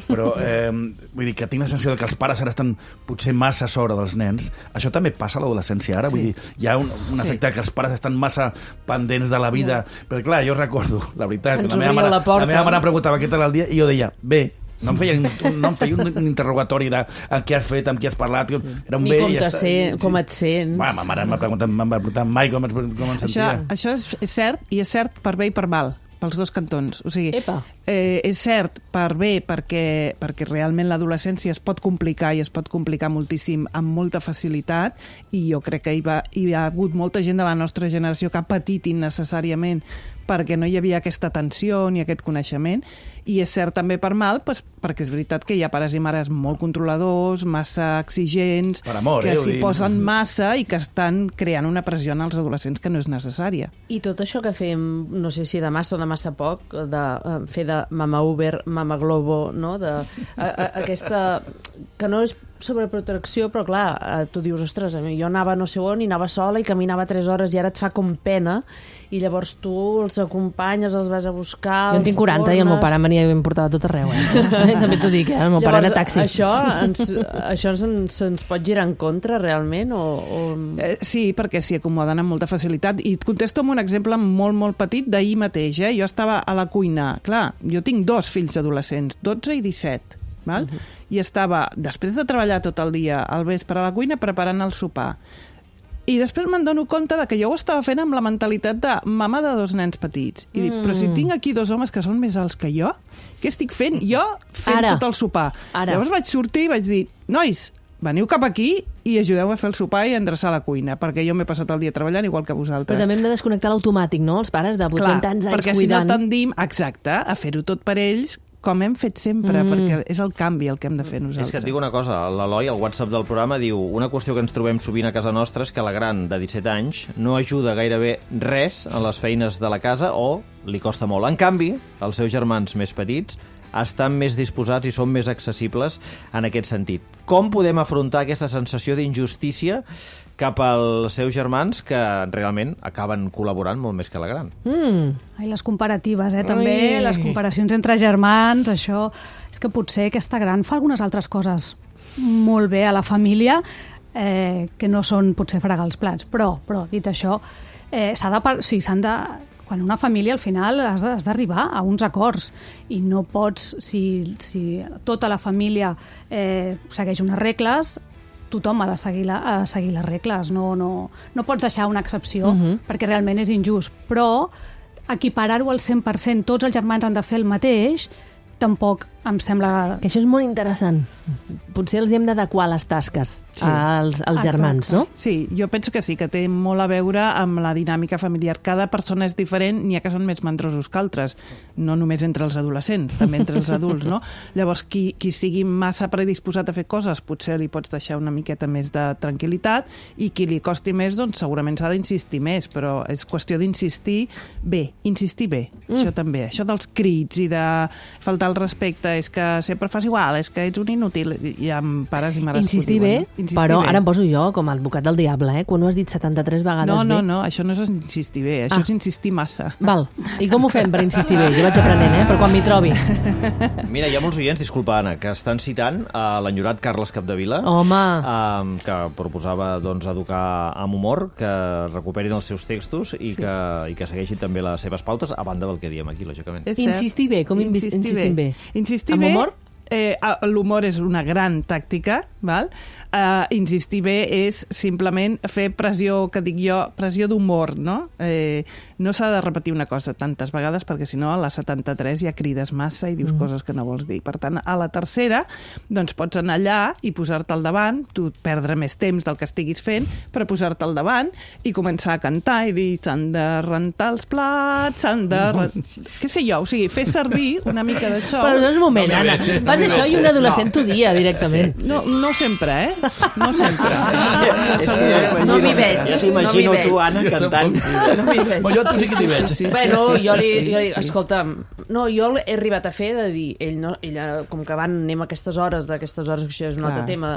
Però eh, vull dir que tinc la sensació de que els pares ara estan potser massa a sobre dels nens. Això també passa a l'adolescència ara, sí. Vull dir, hi ha un, un efecte que els pares estan massa pendents de la vida. Sí. Però clar, jo recordo, la veritat, Ens la meva, obria mare, la porta. la meva mare em preguntava què tal el dia i jo deia, bé. No em feia, un, no em feia un, un interrogatori de amb què has fet, amb qui has parlat. Sí. Era un Ni bé com, i ja te està. sé, com et sents. Va, ma mare m'ha preguntat, m'ha preguntat mai com, com em Això, sentia. això és, és cert, i és cert per bé i per mal, pels dos cantons. O sigui, Epa. eh, és cert per bé perquè, perquè realment l'adolescència es pot complicar i es pot complicar moltíssim amb molta facilitat, i jo crec que hi, va, hi ha hagut molta gent de la nostra generació que ha patit innecessàriament perquè no hi havia aquesta atenció ni aquest coneixement, i és cert també per mal, pues, perquè és veritat que hi ha pares i mares molt controladors, massa exigents, Per amor, que eh, s'hi ho dic. posen massa i que estan creant una pressió en els adolescents que no és necessària. I tot això que fem, no sé si de massa o de massa poc, de eh, fer de mama Uber, mama Globo, no? De, a, a, aquesta... que no és sobreprotecció, però clar, eh, tu dius, ostres, a mi jo anava no sé on i anava sola i caminava tres hores i ara et fa com pena, i llavors tu els acompanyes, els vas a buscar... Jo en els tinc quaranta i el meu tornes. pare venia i em portava a tot arreu. Eh? També t'ho dic, eh? El meu pare era taxi. Això ens, això ens, ens pot girar en contra, realment? O, o... Eh, sí, perquè s'hi acomoden amb molta facilitat. I et contesto amb un exemple molt, molt petit d'ahir mateix. Eh? Jo estava a la cuina. Clar, jo tinc dos fills adolescents, dotze i disset. Val? Uh -huh. I estava, després de treballar tot el dia, al vespre a la cuina, preparant el sopar. I després me'n dono compte de que jo ho estava fent amb la mentalitat de mama de dos nens petits. I dic, Mm. però si tinc aquí dos homes que són més alts que jo, què estic fent? Jo fent Ara. tot el sopar. Ara. Llavors vaig sortir i vaig dir, nois, veniu cap aquí i ajudeu a fer el sopar i a endreçar la cuina, perquè jo m'he passat el dia treballant igual que vosaltres. Però també hem de desconnectar l'automàtic, no? Els pares de vuitanta anys perquè cuidant. si no tendim, exacte, a fer-ho tot per ells, com hem fet sempre, mm. perquè és el canvi el que hem de fer nosaltres. És que et dic una cosa, l'Eloi, al WhatsApp del programa, diu una qüestió que ens trobem sovint a casa nostra és que la gran de disset anys no ajuda gairebé res a les feines de la casa o li costa molt. En canvi, els seus germans més petits estan més disposats i són més accessibles en aquest sentit. Com podem afrontar aquesta sensació d'injustícia cap als seus germans que realment acaben col·laborant molt més que la gran? Mm. Ai, les comparatives, eh, també, Ai. les comparacions entre germans, això... És que potser aquesta gran fa algunes altres coses molt bé a la família, eh, que no són potser fregar els plats, però, però dit això, eh, s'ha de... par- Sí, s'han de... Quan una família, al final, has de- has d'arribar a uns acords i no pots, si, si tota la família eh, segueix unes regles, tothom ha de seguir, la, ha de seguir les regles, no, no, no pots deixar una excepció, Mhm. perquè realment és injust, però equiparar-ho al cent per cent, tots els germans han de fer el mateix, tampoc em sembla... Que això és molt interessant. Potser els hi hem d'adequar les tasques Sí. als, als germans, no? Sí, jo penso que sí, que té molt a veure amb la dinàmica familiar. Cada persona és diferent, n'hi ha que són més mandrosos que altres, no només entre els adolescents, també entre els adults, no? Llavors, qui, qui sigui massa predisposat a fer coses, potser li pots deixar una miqueta més de tranquil·litat, i qui li costi més, doncs segurament s'ha d'insistir més, però és qüestió d'insistir bé, insistir bé, mm. això també. Això dels crits i de faltar el respecte, és que sempre fas igual, és que ets un inútil, i amb pares i mares... Insistir bé, però ara em poso jo com a advocat del diable, eh? Quan ho has dit setanta-tres vegades No, no, bé. no, això no és insistir bé, això Ah. és insistir massa. Val. I com ho fem per insistir bé? Jo vaig aprenent, eh? Per quan m'hi trobi. Mira, hi ha molts oients, disculpa, Anna, que estan citant a l'enyorat Carles Capdevila, Home. eh, que proposava doncs, educar amb humor, que recuperin els seus textos i, sí. que, i que segueixin també les seves pautes, a banda del que diem aquí, lògicament. És cert. Insistir bé, com invis- insistim bé? Insistir Amb bé, humor? Eh, l'humor és una gran tàctica, val? Uh, insistir bé és simplement fer pressió, que dic jo, pressió d'humor, no? Eh, no s'ha de repetir una cosa tantes vegades perquè si no a la setanta-tres ja crides massa i dius mm. coses que no vols dir. Per tant, a la tercera, doncs pots anar allà i posar-te al davant, tu perdre més temps del que estiguis fent, per posar-te al davant i començar a cantar i dir s'han de rentar els plats, s'han de... Què sé jo, o sigui, fer servir una mica de xou. Però no és un moment, No m'hi Anna. veig, eh? No Fas m'hi això veig, i un eh? adolescent t'ho dia directament. No, no sempre, eh? No sempre. És que No m'hi veig. Ja t'imagino no m'hi tu, veig. Anna, cantant. No m'hi veig. Però jo tu sí que t'hi veig. Sí, sí, Bueno, sí, sí, jo li, sí, jo li sí. escolta'm, no, jo he arribat a fer de dir, ell no, ella, com que van, anem a aquestes hores, d'aquestes hores, que això és un Clar. altre tema,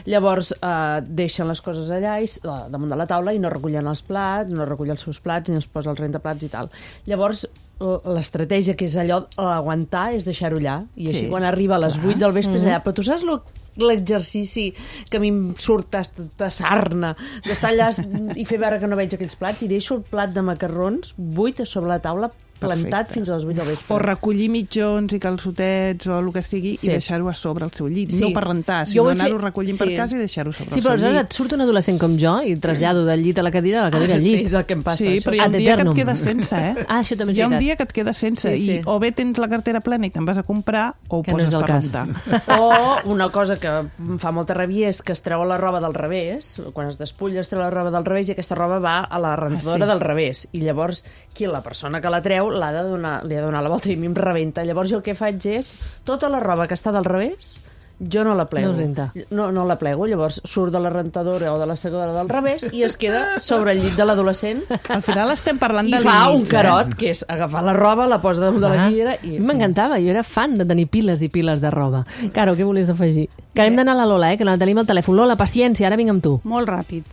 llavors eh, deixen les coses allà i, s- eh, damunt de la taula i no recullen els plats, no recullen els seus plats ni els posa els rentaplats i tal. Llavors, l- l'estratègia que és allò, aguantar, és deixar-ho allà, i així Sí, quan arriba a les vuit del vespre és Mm-hmm. allà. Però tu saps lo l'exercici que a mi em surt de sarna, d'estar allà i fer veure que no veig aquells plats, i deixo el plat de macarrons buit a sobre la taula, plantat Perfecte. fins a les vuit del vespre. O recollir mitjons i calçotets o el que sigui Sí. i deixar-ho a sobre el seu llit. Sí. No per rentar, Jo sinó ho he anar-ho fet- recollint sí. per casa i deixar-ho sobre Sí, el però seu aleshores llit. et surt un adolescent com jo i trasllado del llit a la cadira, de la cadira al llit. Sí, és el que em passa. Sí, això. però hi ha Ad un dia que eternum. et quedes sense, eh? Ah, això també és Hi ha un veritat. dia que et quedes sense Sí, sí. i o bé tens la cartera plena i te'n vas a comprar o ho Que no poses és el per cas. rentar. O una cosa que em fa molta ràbia és que es treu la roba del revés, quan es despulla es treu la roba del revés i aquesta roba va a la rentadora Ah, sí. del revés. I llavors, qui la persona que la treu l'ha de donar, li ha de donar la volta i a mi em rebenta. Llavors jo el que faig és, tota la roba que està del revés, jo no la plego. No es renta. No, no la plego, llavors surt de la rentadora o de la secadora del revés i es queda sobre el llit de l'adolescent Al final estem parlant i de fa un límits, carot, que és agafar la roba, la posa damunt de la Ah, guillera a i... mi m'encantava, jo era fan de tenir piles i piles de roba. Caro, què volies afegir? Que hem d'anar a la Lola, eh, que la tenim al telèfon. Lola, paciència, ara vinc amb tu. Molt ràpid.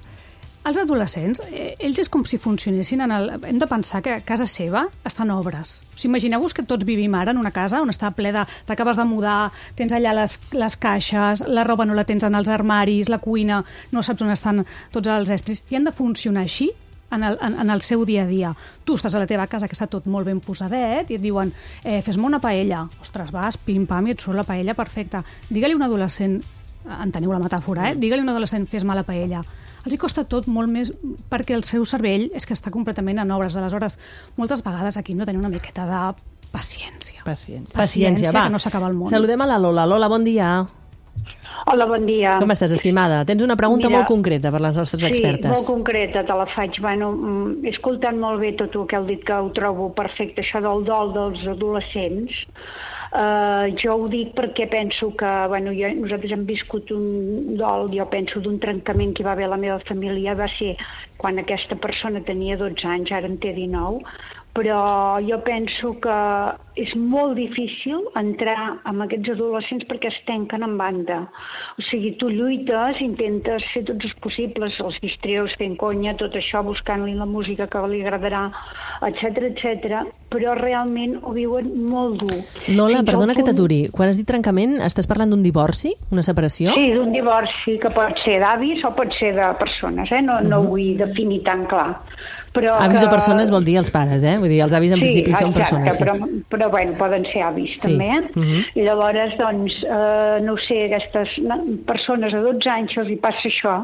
Els adolescents, eh, ells és com si funcionessin en el... Hem de pensar que a casa seva estan obres. O sigui, imagineu-vos que tots vivim ara en una casa on està ple de... T'acabes de mudar, tens allà les, les caixes, la roba no la tens en els armaris, la cuina, no saps on estan tots els estris. I han de funcionar així en el, en, en el seu dia a dia. Tu estàs a la teva casa, que està tot molt ben posadet, i et diuen, eh, fes-me una paella. Ostres, vas, pim-pam, i et surt la paella perfecta. Digue-li a un adolescent, enteniu la metàfora, eh? Digue-li a un adolescent, fes-me la paella. els hi costa tot molt més, perquè el seu cervell és que està completament en obres. Aleshores, moltes vegades aquí hem de tenir una miqueta de paciència. Paciència. Paciència, va. Que no s'acaba el món. Saludem a la Lola. Lola, bon dia. Hola, bon dia. Com estàs, estimada? Tens una pregunta Mira, molt concreta per les nostres expertes. Sí, molt concreta, te la faig. Bueno, he escoltat molt bé tot el que heu dit, que ho trobo perfecte, això del dol dels adolescents. Uh, jo ho dic perquè penso que bueno, jo, nosaltres hem viscut un dol, jo penso, d'un trencament que hi va haver a la meva família, va ser quan aquesta persona tenia dotze anys, ara en té dinou, però jo penso que és molt difícil entrar amb aquests adolescents perquè es tanquen en banda. O sigui, tu lluites, intentes fer tots els possibles, els distreus, fent conya, tot això, buscant-li la música que li agradarà, etcètera, etcètera, però realment ho viuen molt dur. Lola, Fins perdona al que punt- t'aturi. Quan has dit trencament, estàs parlant d'un divorci? Una separació? Sí, d'un divorci que pot ser d'avis o pot ser de persones, eh? No, no ho vull definir tan clar. Però Avis que... o persones vol dir els pares, eh? Vull dir, els avis en sí, principi són exacte, persones. Sí, però, però bueno, poden ser avis Sí. també, eh? Mhm. I llavors, doncs, eh, no ho sé, aquestes persones a dotze anys els hi passa això.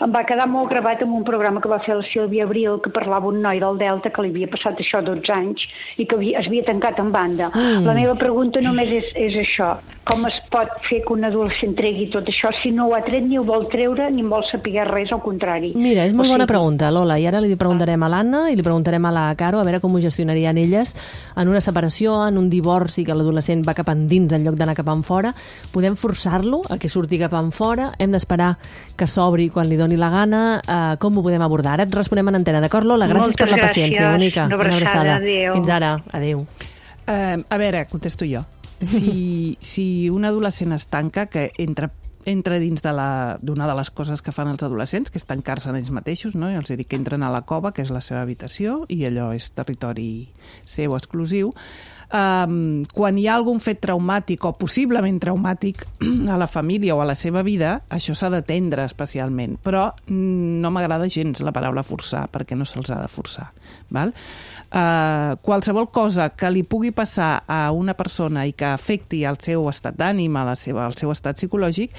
Em va quedar molt gravat en un programa que va fer la Sílvia Abril, que parlava un noi del Delta que li havia passat això a dotze anys i que havia, es havia tancat en banda. Mm. La meva pregunta només és, és això. Com es pot fer que un adolescent tregui tot això si no ho ha tret ni ho vol treure ni en vol saber res, al contrari? Mira, és molt O bona sigui, pregunta, Lola, i ara li preguntarem a l'Anna i li preguntarem a la Caro a veure com ho gestionarien elles en una separació, en un divorci, que l'adolescent va cap endins en lloc d'anar cap enfora. Podem forçar-lo a que surti cap enfora? Hem d'esperar que s'obri quan li doni la gana? Uh, com ho podem abordar? Ara et responem en antena, d'acord, Lola? Gràcies Moltes per la gràcies. paciència, bonica. Una abraçada, adéu. Fins ara, adéu. Uh, a veure, contesto jo. Si, si un adolescent es tanca, que entra entra dins de la- d'una de, de les coses que fan els adolescents, que és tancar-se en ells mateixos, no? I els dic que entren a la cova, que és la seva habitació, i allò és territori seu exclusiu. Um, quan hi ha algun fet traumàtic o possiblement traumàtic a la família o a la seva vida, això s'ha d'atendre especialment. Però mm, no m'agrada gens la paraula forçar, perquè no se'ls ha de forçar. Val? Uh, qualsevol cosa que li pugui passar a una persona i que afecti el seu estat d'ànim, a la seva, el seu estat psicològic,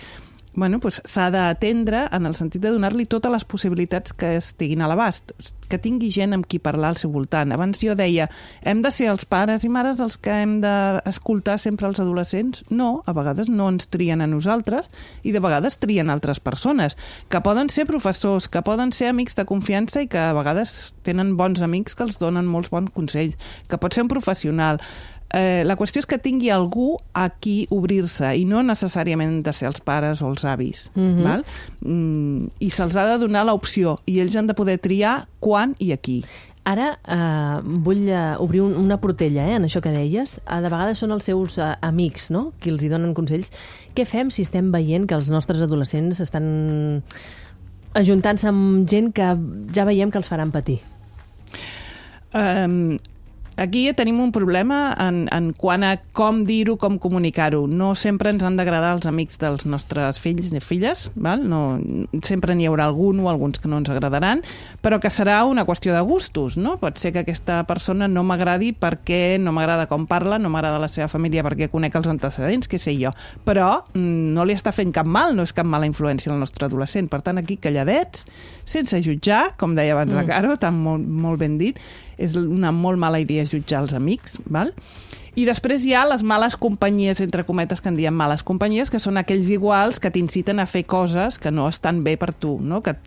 bueno, pues s'ha d'atendre en el sentit de donar-li totes les possibilitats que estiguin a l'abast, que tingui gent amb qui parlar al seu voltant. Abans jo deia, hem de ser els pares i mares els que hem d'escoltar sempre els adolescents? No, a vegades no ens trien a nosaltres i de vegades trien altres persones, que poden ser professors, que poden ser amics de confiança i que a vegades tenen bons amics que els donen molts bons consells, que pot ser un professional. Eh, la qüestió és que tingui algú a qui obrir-se i no necessàriament de ser els pares o els avis. Mhm. Val? Mm, I se'ls ha de donar l'opció i ells han de poder triar quan i a qui. Ara eh, vull eh, obrir un, una portella eh, en això que deies. Eh, de vegades són els seus eh, amics, no?, qui els hi donen consells. Què fem si estem veient que els nostres adolescents estan ajuntant-se amb gent que ja veiem que els faran patir? Um, aquí tenim un problema en, en quant a com dir-ho, com comunicar-ho. No sempre ens han d'agradar els amics dels nostres fills i filles, val? No, sempre n'hi haurà algun o alguns que no ens agradaran, però que serà una qüestió de gustos, no? Pot ser que aquesta persona no m'agradi perquè no m'agrada com parla, no m'agrada la seva família perquè conec els antecedents, què sé jo, però mm, no li està fent cap mal, no és cap mala influència al nostre adolescent. Per tant, aquí calladets, sense jutjar, com deia abans la Caro, tan molt, molt ben dit, és una molt mala idea jutjar els amics, val? I després hi ha les males companyies, entre cometes, que en diem males companyies, que són aquells iguals que t'inciten a fer coses que no estan bé per tu, no? Que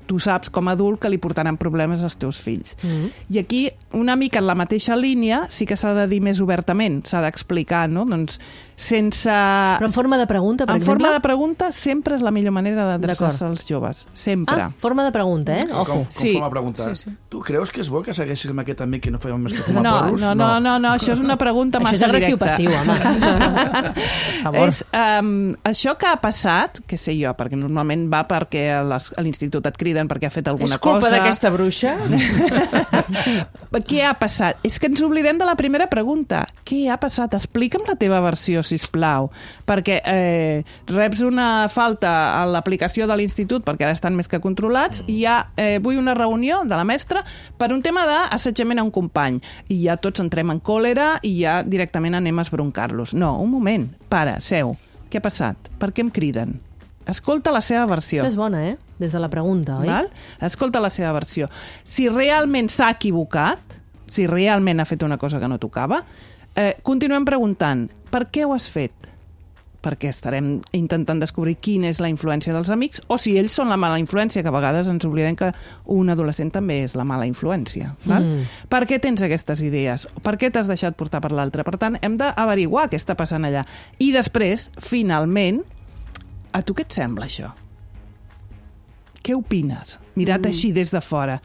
tu saps com a adult que li portaran problemes als teus fills. Mm. I aquí, una mica en la mateixa línia, sí que s'ha de dir més obertament, s'ha d'explicar, no? Doncs sense... Però en forma de pregunta, per en exemple? forma de pregunta sempre és la millor manera d'adreçar-se D'acord. als joves. Sempre. Ah, forma de pregunta, eh? Ojo. Com, com Sí. forma de preguntar. Sí, sí. Tu creus que és bo que segueixis amb aquest amic que no fèiem més que fumar No, porros? no, no, no, no, això és una pregunta Això massa és agressiu directa. passiu, home. Per favor. És, um, això que ha passat, què sé jo, perquè normalment va perquè a les- a l'institut et criden perquè ha fet alguna És culpa cosa. d'aquesta bruixa? Què ha passat? És que ens oblidem de la primera pregunta. Què ha passat? Explica'm la teva versió, sisplau. Perquè eh, reps una falta a l'aplicació de l'institut, perquè ara estan més que controlats, i ja eh, vull una reunió de la mestra per un tema d'assetjament a un company. I ja tots entrem en còlera i ja directament anem a esbroncar-los. No, un moment, para, seu. Què ha passat? Per què em criden? Escolta la seva versió. Aquesta és bona, eh? des de la pregunta, oi? Val? Escolta la seva versió. Si realment s'ha equivocat, si realment ha fet una cosa que no tocava, eh, continuem preguntant, per què ho has fet? Perquè estarem intentant descobrir quina és la influència dels amics, o si ells són la mala influència, que a vegades ens oblidem que un adolescent també és la mala influència. Val? Mm. Per què tens aquestes idees? Per què t'has deixat portar per l'altre? Per tant, hem d'averiguar què està passant allà. I després, finalment, a tu què et sembla això? Què opines? Mirat mm. així des de fora.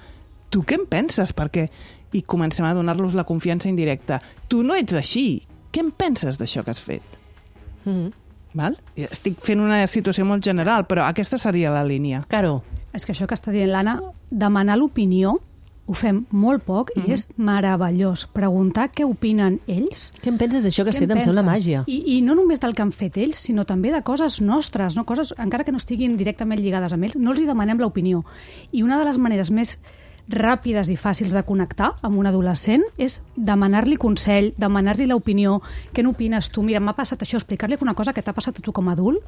Tu què en penses? Perquè... I comencem a donar-los la confiança indirecta. Tu no ets així. Què en penses d'això que has fet? Mm. Val? Estic fent una situació molt general, però aquesta seria la línia. Caro. És que això que està dient l'Anna, demanar l'opinió ho fem molt poc mm-hmm. i és meravellós. Preguntar què opinen ells. Què en penses d'això que has fet? Em sembla màgia. I, I no només del que han fet ells, sinó també de coses nostres, no? Coses, encara que no estiguin directament lligades amb ells, no els hi demanem l'opinió. I una de les maneres més ràpides i fàcils de connectar amb un adolescent és demanar-li consell, demanar-li l'opinió. Què n'opines tu? Mira, m'ha passat això, explicar-li una cosa que t'ha passat a tu com a adult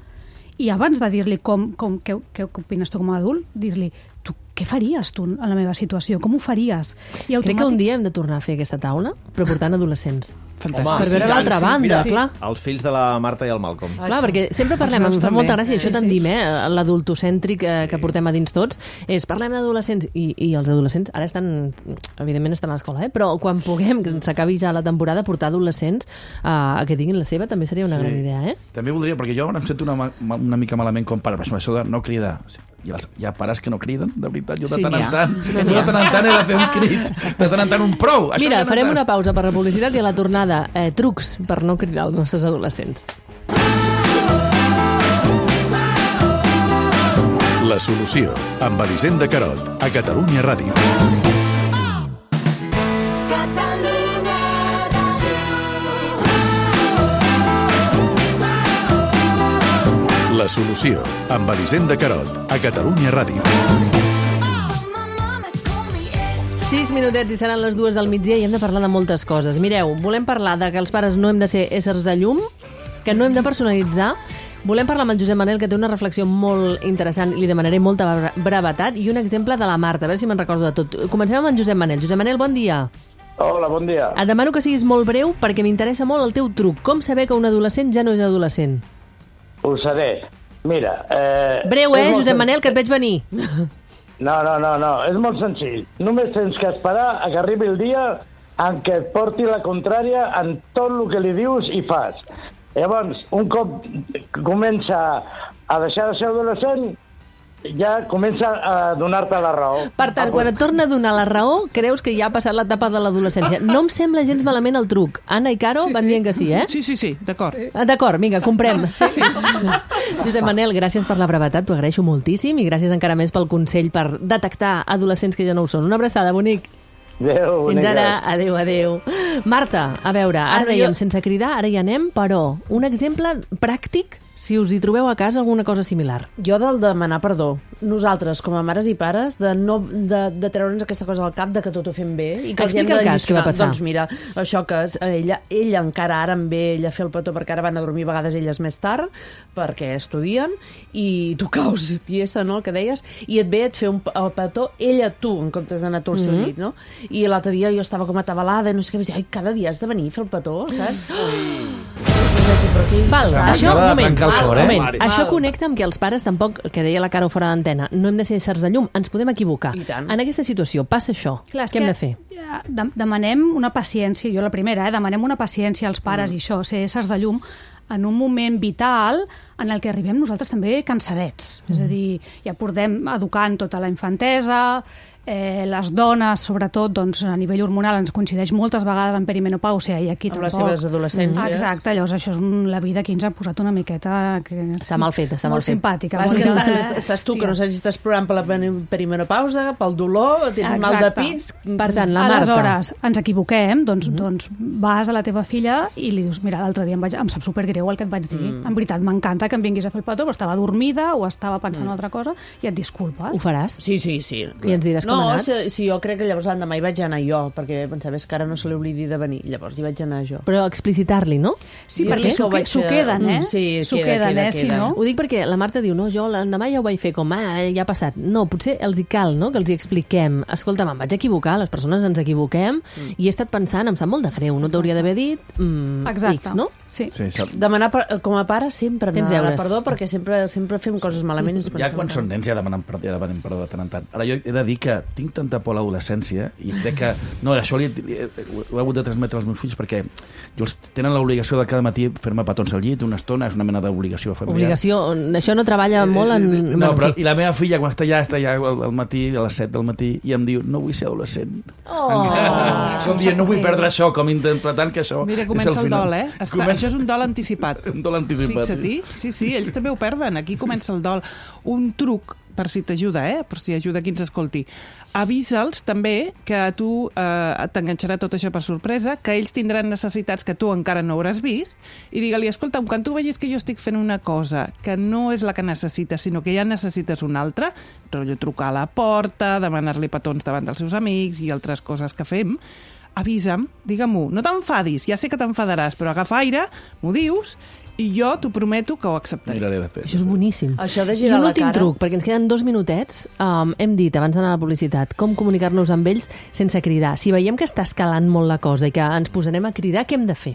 i abans de dir-li com, com, què, què opines tu com a adult, dir-li tu què faries tu en la meva situació? Com ho faries? I automàtic... Crec que un dia hem de tornar a fer aquesta taula, però portant adolescents. Fantàstic. Home, per veure sí, l'altra sí, banda, mira, clar. Els fills de la Marta i el Malcolm. Clar, perquè sempre parlem, ens fa molta gràcia, i això sí, tendim, eh, l'adultocèntric eh, que portem a dins tots, és parlem d'adolescents, i, i els adolescents ara estan, evidentment estan a l'escola, eh, però quan puguem, que s'acabi ja la temporada, portar adolescents eh, a que diguin la seva també seria una sí. gran idea, eh? També voldria, perquè jo em sento una, una mica malament com pare, però això de no cridar. Hi ha, hi ha pares que no criden, de veritat. Jo de sí, tant en tant, sí, de tant en tant he de fer un crit, de tant en tant un prou. Això Mira, farem una pausa per la publicitat i a la tornada eh, trucs per no cridar els nostres adolescents. La solució, amb Elisenda Carot, a Catalunya Ràdio. La solució, amb Elisenda Carot, a Catalunya Ràdio. Sis minutets i seran les dues del migdia i hem de parlar de moltes coses. Mireu, volem parlar de que els pares no hem de ser éssers de llum, que no hem de personalitzar. Volem parlar amb el Josep Manel, que té una reflexió molt interessant i li demanaré molta brevetat, i un exemple de la Marta, a veure si me'n recordo de tot. Comencem amb en Josep Manel. Josep Manel, bon dia. Hola, bon dia. Et demano que siguis molt breu perquè m'interessa molt el teu truc. Com saber que un adolescent ja no és adolescent? Ho seré. Mira... Eh, breu, eh, Josep Manel, que et veig venir. No, no, no, no, és molt senzill. Només tens que esperar a que arribi el dia en què et porti la contrària en tot el que li dius i fas. Llavors, un cop comença a deixar de ser adolescent, ja comença a donar-te la raó. Per tant, quan et torna a donar la raó, creus que ja ha passat l'etapa de l'adolescència. No em sembla gens malament el truc. Anna i Caro sí, van sí. dient que sí, eh? Sí, sí, sí, d'acord. D'acord, vinga, comprem. Sí, sí. Josep Manel, gràcies per la brevetat, t'ho agraeixo moltíssim, i gràcies encara més pel consell per detectar adolescents que ja no ho són. Una abraçada, bonic. Adéu, Fins ara, adéu, adéu. Marta, a veure, ara, ara dèiem, jo... sense cridar, ara hi anem, però un exemple pràctic, si us hi trobeu a casa alguna cosa similar. Jo del demanar perdó. Nosaltres, com a mares i pares, de, no, de, de treure'ns aquesta cosa al cap de que tot ho fem bé. I que explica el cas, què va passar. Doncs mira, això que ella, ella encara ara em ve ella a fer el petó perquè ara van a dormir a vegades elles més tard, perquè estudien, i tu caus tiesa, no?, el que deies, i et ve et fer un, el petó ella tu, en comptes d'anar tu al seu llit, no? I l'altre dia jo estava com atabalada i no sé què, vaig dir, ai, cada dia has de venir a fer el petó, saps? Val, això, un moment, el cor, eh? moment. Això connecta amb que els pares tampoc, que deia la Caro fora d'antena, no hem de ser éssers de llum, ens podem equivocar. En aquesta situació passa això, clar, què hem de fer? De, demanem una paciència, jo la primera, eh, demanem una paciència als pares mm. i això, ser éssers de llum, en un moment vital en el que arribem nosaltres també cansadets. Mm. És a dir, ja portem educant tota la infantesa, eh, les dones, sobretot, doncs, a nivell hormonal ens coincideix moltes vegades en perimenopàusia i aquí amb tampoc. les seves adolescències. Exacte, llavors això és un, la vida que ens ha posat una miqueta... Que està mal fet, està molt mal fet. simpàtica. Clar, és que estàs, estàs tu, que no saps si estàs plorant per la perimenopausa, pel dolor, tens Exacte. mal de pits... Per tant, la Marta... Aleshores, ens equivoquem, doncs, mm -hmm. doncs vas a la teva filla i li dius, mira, l'altre dia em, vaig, em sap supergreu greu el que et vaig dir. Mm. En veritat, m'encanta que em vinguis a fer el petó, però estava dormida o estava pensant en Mm. altra cosa i et disculpes. Ho faràs? Sí, sí, sí. I ens diràs no, com ha anat? si, si jo crec que llavors l'endemà hi vaig anar jo, perquè pensava que ara no se li oblidi de venir, llavors hi vaig anar jo. Però explicitar-li, no? Sí, Jo perquè crec que s'ho ho vaig s'ho fer- queden, eh? Mm, sí, S'ho queda, queden, queda, eh? Si queda. no... Ho dic perquè la Marta diu, no, jo l'endemà ja ho vaig fer com, ah, ja ha passat. No, potser els hi cal, no?, que els hi expliquem. Escolta, me'n vaig equivocar, les persones ens equivoquem, mm. i he estat pensant, em sap molt de greu, no t'hauria d'haver dit mm, Exacte. X, no? Sí. Sí, sap. Demanar per, com a pare sempre Tens demanar deures. perdó, perquè sempre sempre fem coses malament i ens Ja pensem quan que- són nens ja demanen, perdó, ja demanen perdó de tant en tant. Ara jo he de dir que tinc tanta por a l'adolescència i crec que... No, això li, li, ho he hagut de transmetre als meus fills perquè jo els tenen l'obligació de cada matí fer-me petons al llit una estona, és una mena d'obligació familiar. Obligació, això no treballa molt en... No, bueno, però, en fi. i la meva filla, quan està allà, està allà al, al matí, a les set del matí, i em diu, no vull ser adolescent. Oh! Com dient, no vull perdre això, com interpretant que això Mira, és comença el, final. dol, eh? Està, Comença- Això és un dol anticipat. Un dol anticipat. Fixa-t'hi. Sí, sí, ells també ho perden. Aquí comença el dol. Un truc, per si t'ajuda, eh? Per si ajuda qui ens escolti. Avisa'ls també que a tu eh, t'enganxarà tot això per sorpresa, que ells tindran necessitats que tu encara no hauràs vist, i digue-li, escolta, quan tu vegis que jo estic fent una cosa que no és la que necessites, sinó que ja necessites una altra, rotllo trucar a la porta, demanar-li petons davant dels seus amics i altres coses que fem, avisa'm, digue-m'ho, no t'enfadis, ja sé que t'enfadaràs, però agafa aire, m'ho dius, i jo t'ho prometo que ho acceptaré. Miraré després. Això és boníssim. Això de I girar un la últim cara... truc, perquè ens queden dos minutets. Um, hem dit, abans d'anar a la publicitat, com comunicar-nos amb ells sense cridar. Si veiem que està escalant molt la cosa i que ens posarem a cridar, què hem de fer?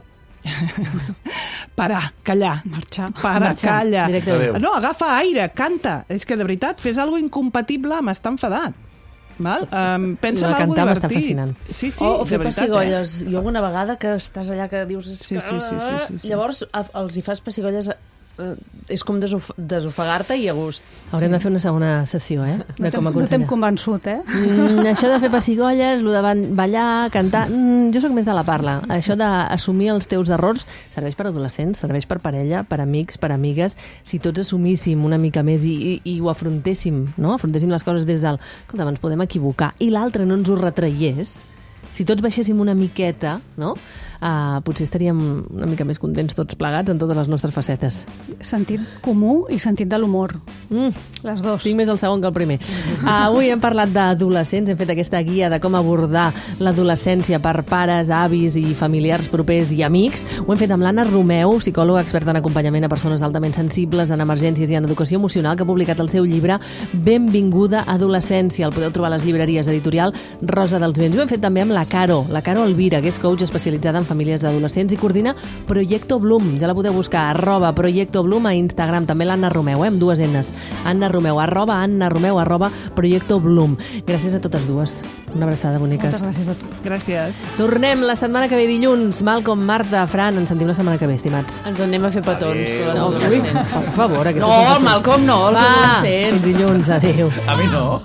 Parar, callar. Marxar. Para, Marxar, calla. directament. No, agafa aire, canta. És que, de veritat, fes alguna incompatible amb estar enfadat. Val? Um, pensa La en alguna cantar divertit. m'està fascinant. Sí, sí, o, o de fer veritat, pessigolles. Jo alguna vegada que estàs allà que dius... És Sí, que... sí, sí, sí, sí, sí. Llavors a- els hi fas pessigolles... Eh, és com desof desofegar-te i a gust. Haurem de fer una segona sessió, eh? De No com t'hem no t'hem aconsellar. convençut, eh? Mm, això de fer pessigolles, lo de ban- ballar, cantar... Mm, jo sóc més de la parla. Això d'assumir els teus errors serveix per adolescents, serveix per parella, per amics, per amigues. Si tots assumíssim una mica més i, i, i ho afrontéssim, no? Afrontéssim les coses des del... Escolta, ens podem equivocar. I l'altre no ens ho retraiés. Si tots baixéssim una miqueta, no? Uh, potser estaríem una mica més contents tots plegats en totes les nostres facetes. Sentit comú i sentit de l'humor. Mm. Les dos. Tinc més el segon que el primer. Uh, avui hem parlat d'adolescents, hem fet aquesta guia de com abordar l'adolescència per pares, avis i familiars propers i amics. Ho hem fet amb l'Anna Romeu, psicòloga experta en acompanyament a persones altament sensibles, en emergències i en educació emocional, que ha publicat el seu llibre Benvinguda adolescència. El podeu trobar a les llibreries editorial Rosa dels Vents. Ho hem fet també amb la Caro, la Caro Elvira, que és coach especialitzada en famílies d'adolescents i coordina Proyecto Bloom. Ja la podeu buscar, arroba Proyecto Bloom a Instagram. També l'Anna Romeu, eh, amb dues N's. Anna Romeu, arroba Anna Romeu, arroba Proyecto Bloom. Gràcies a totes dues. Una abraçada, boniques. Moltes gràcies a tu. Gràcies. Tornem la setmana que ve dilluns. Malcom, Marta, Fran, ens sentim la setmana que ve, estimats. Ens en anem a fer petons, Adéu. les No, adolescents. per favor, aquesta No, sensació. el Malcolm no, els Va, adolescents. fins dilluns, adéu. A mi no.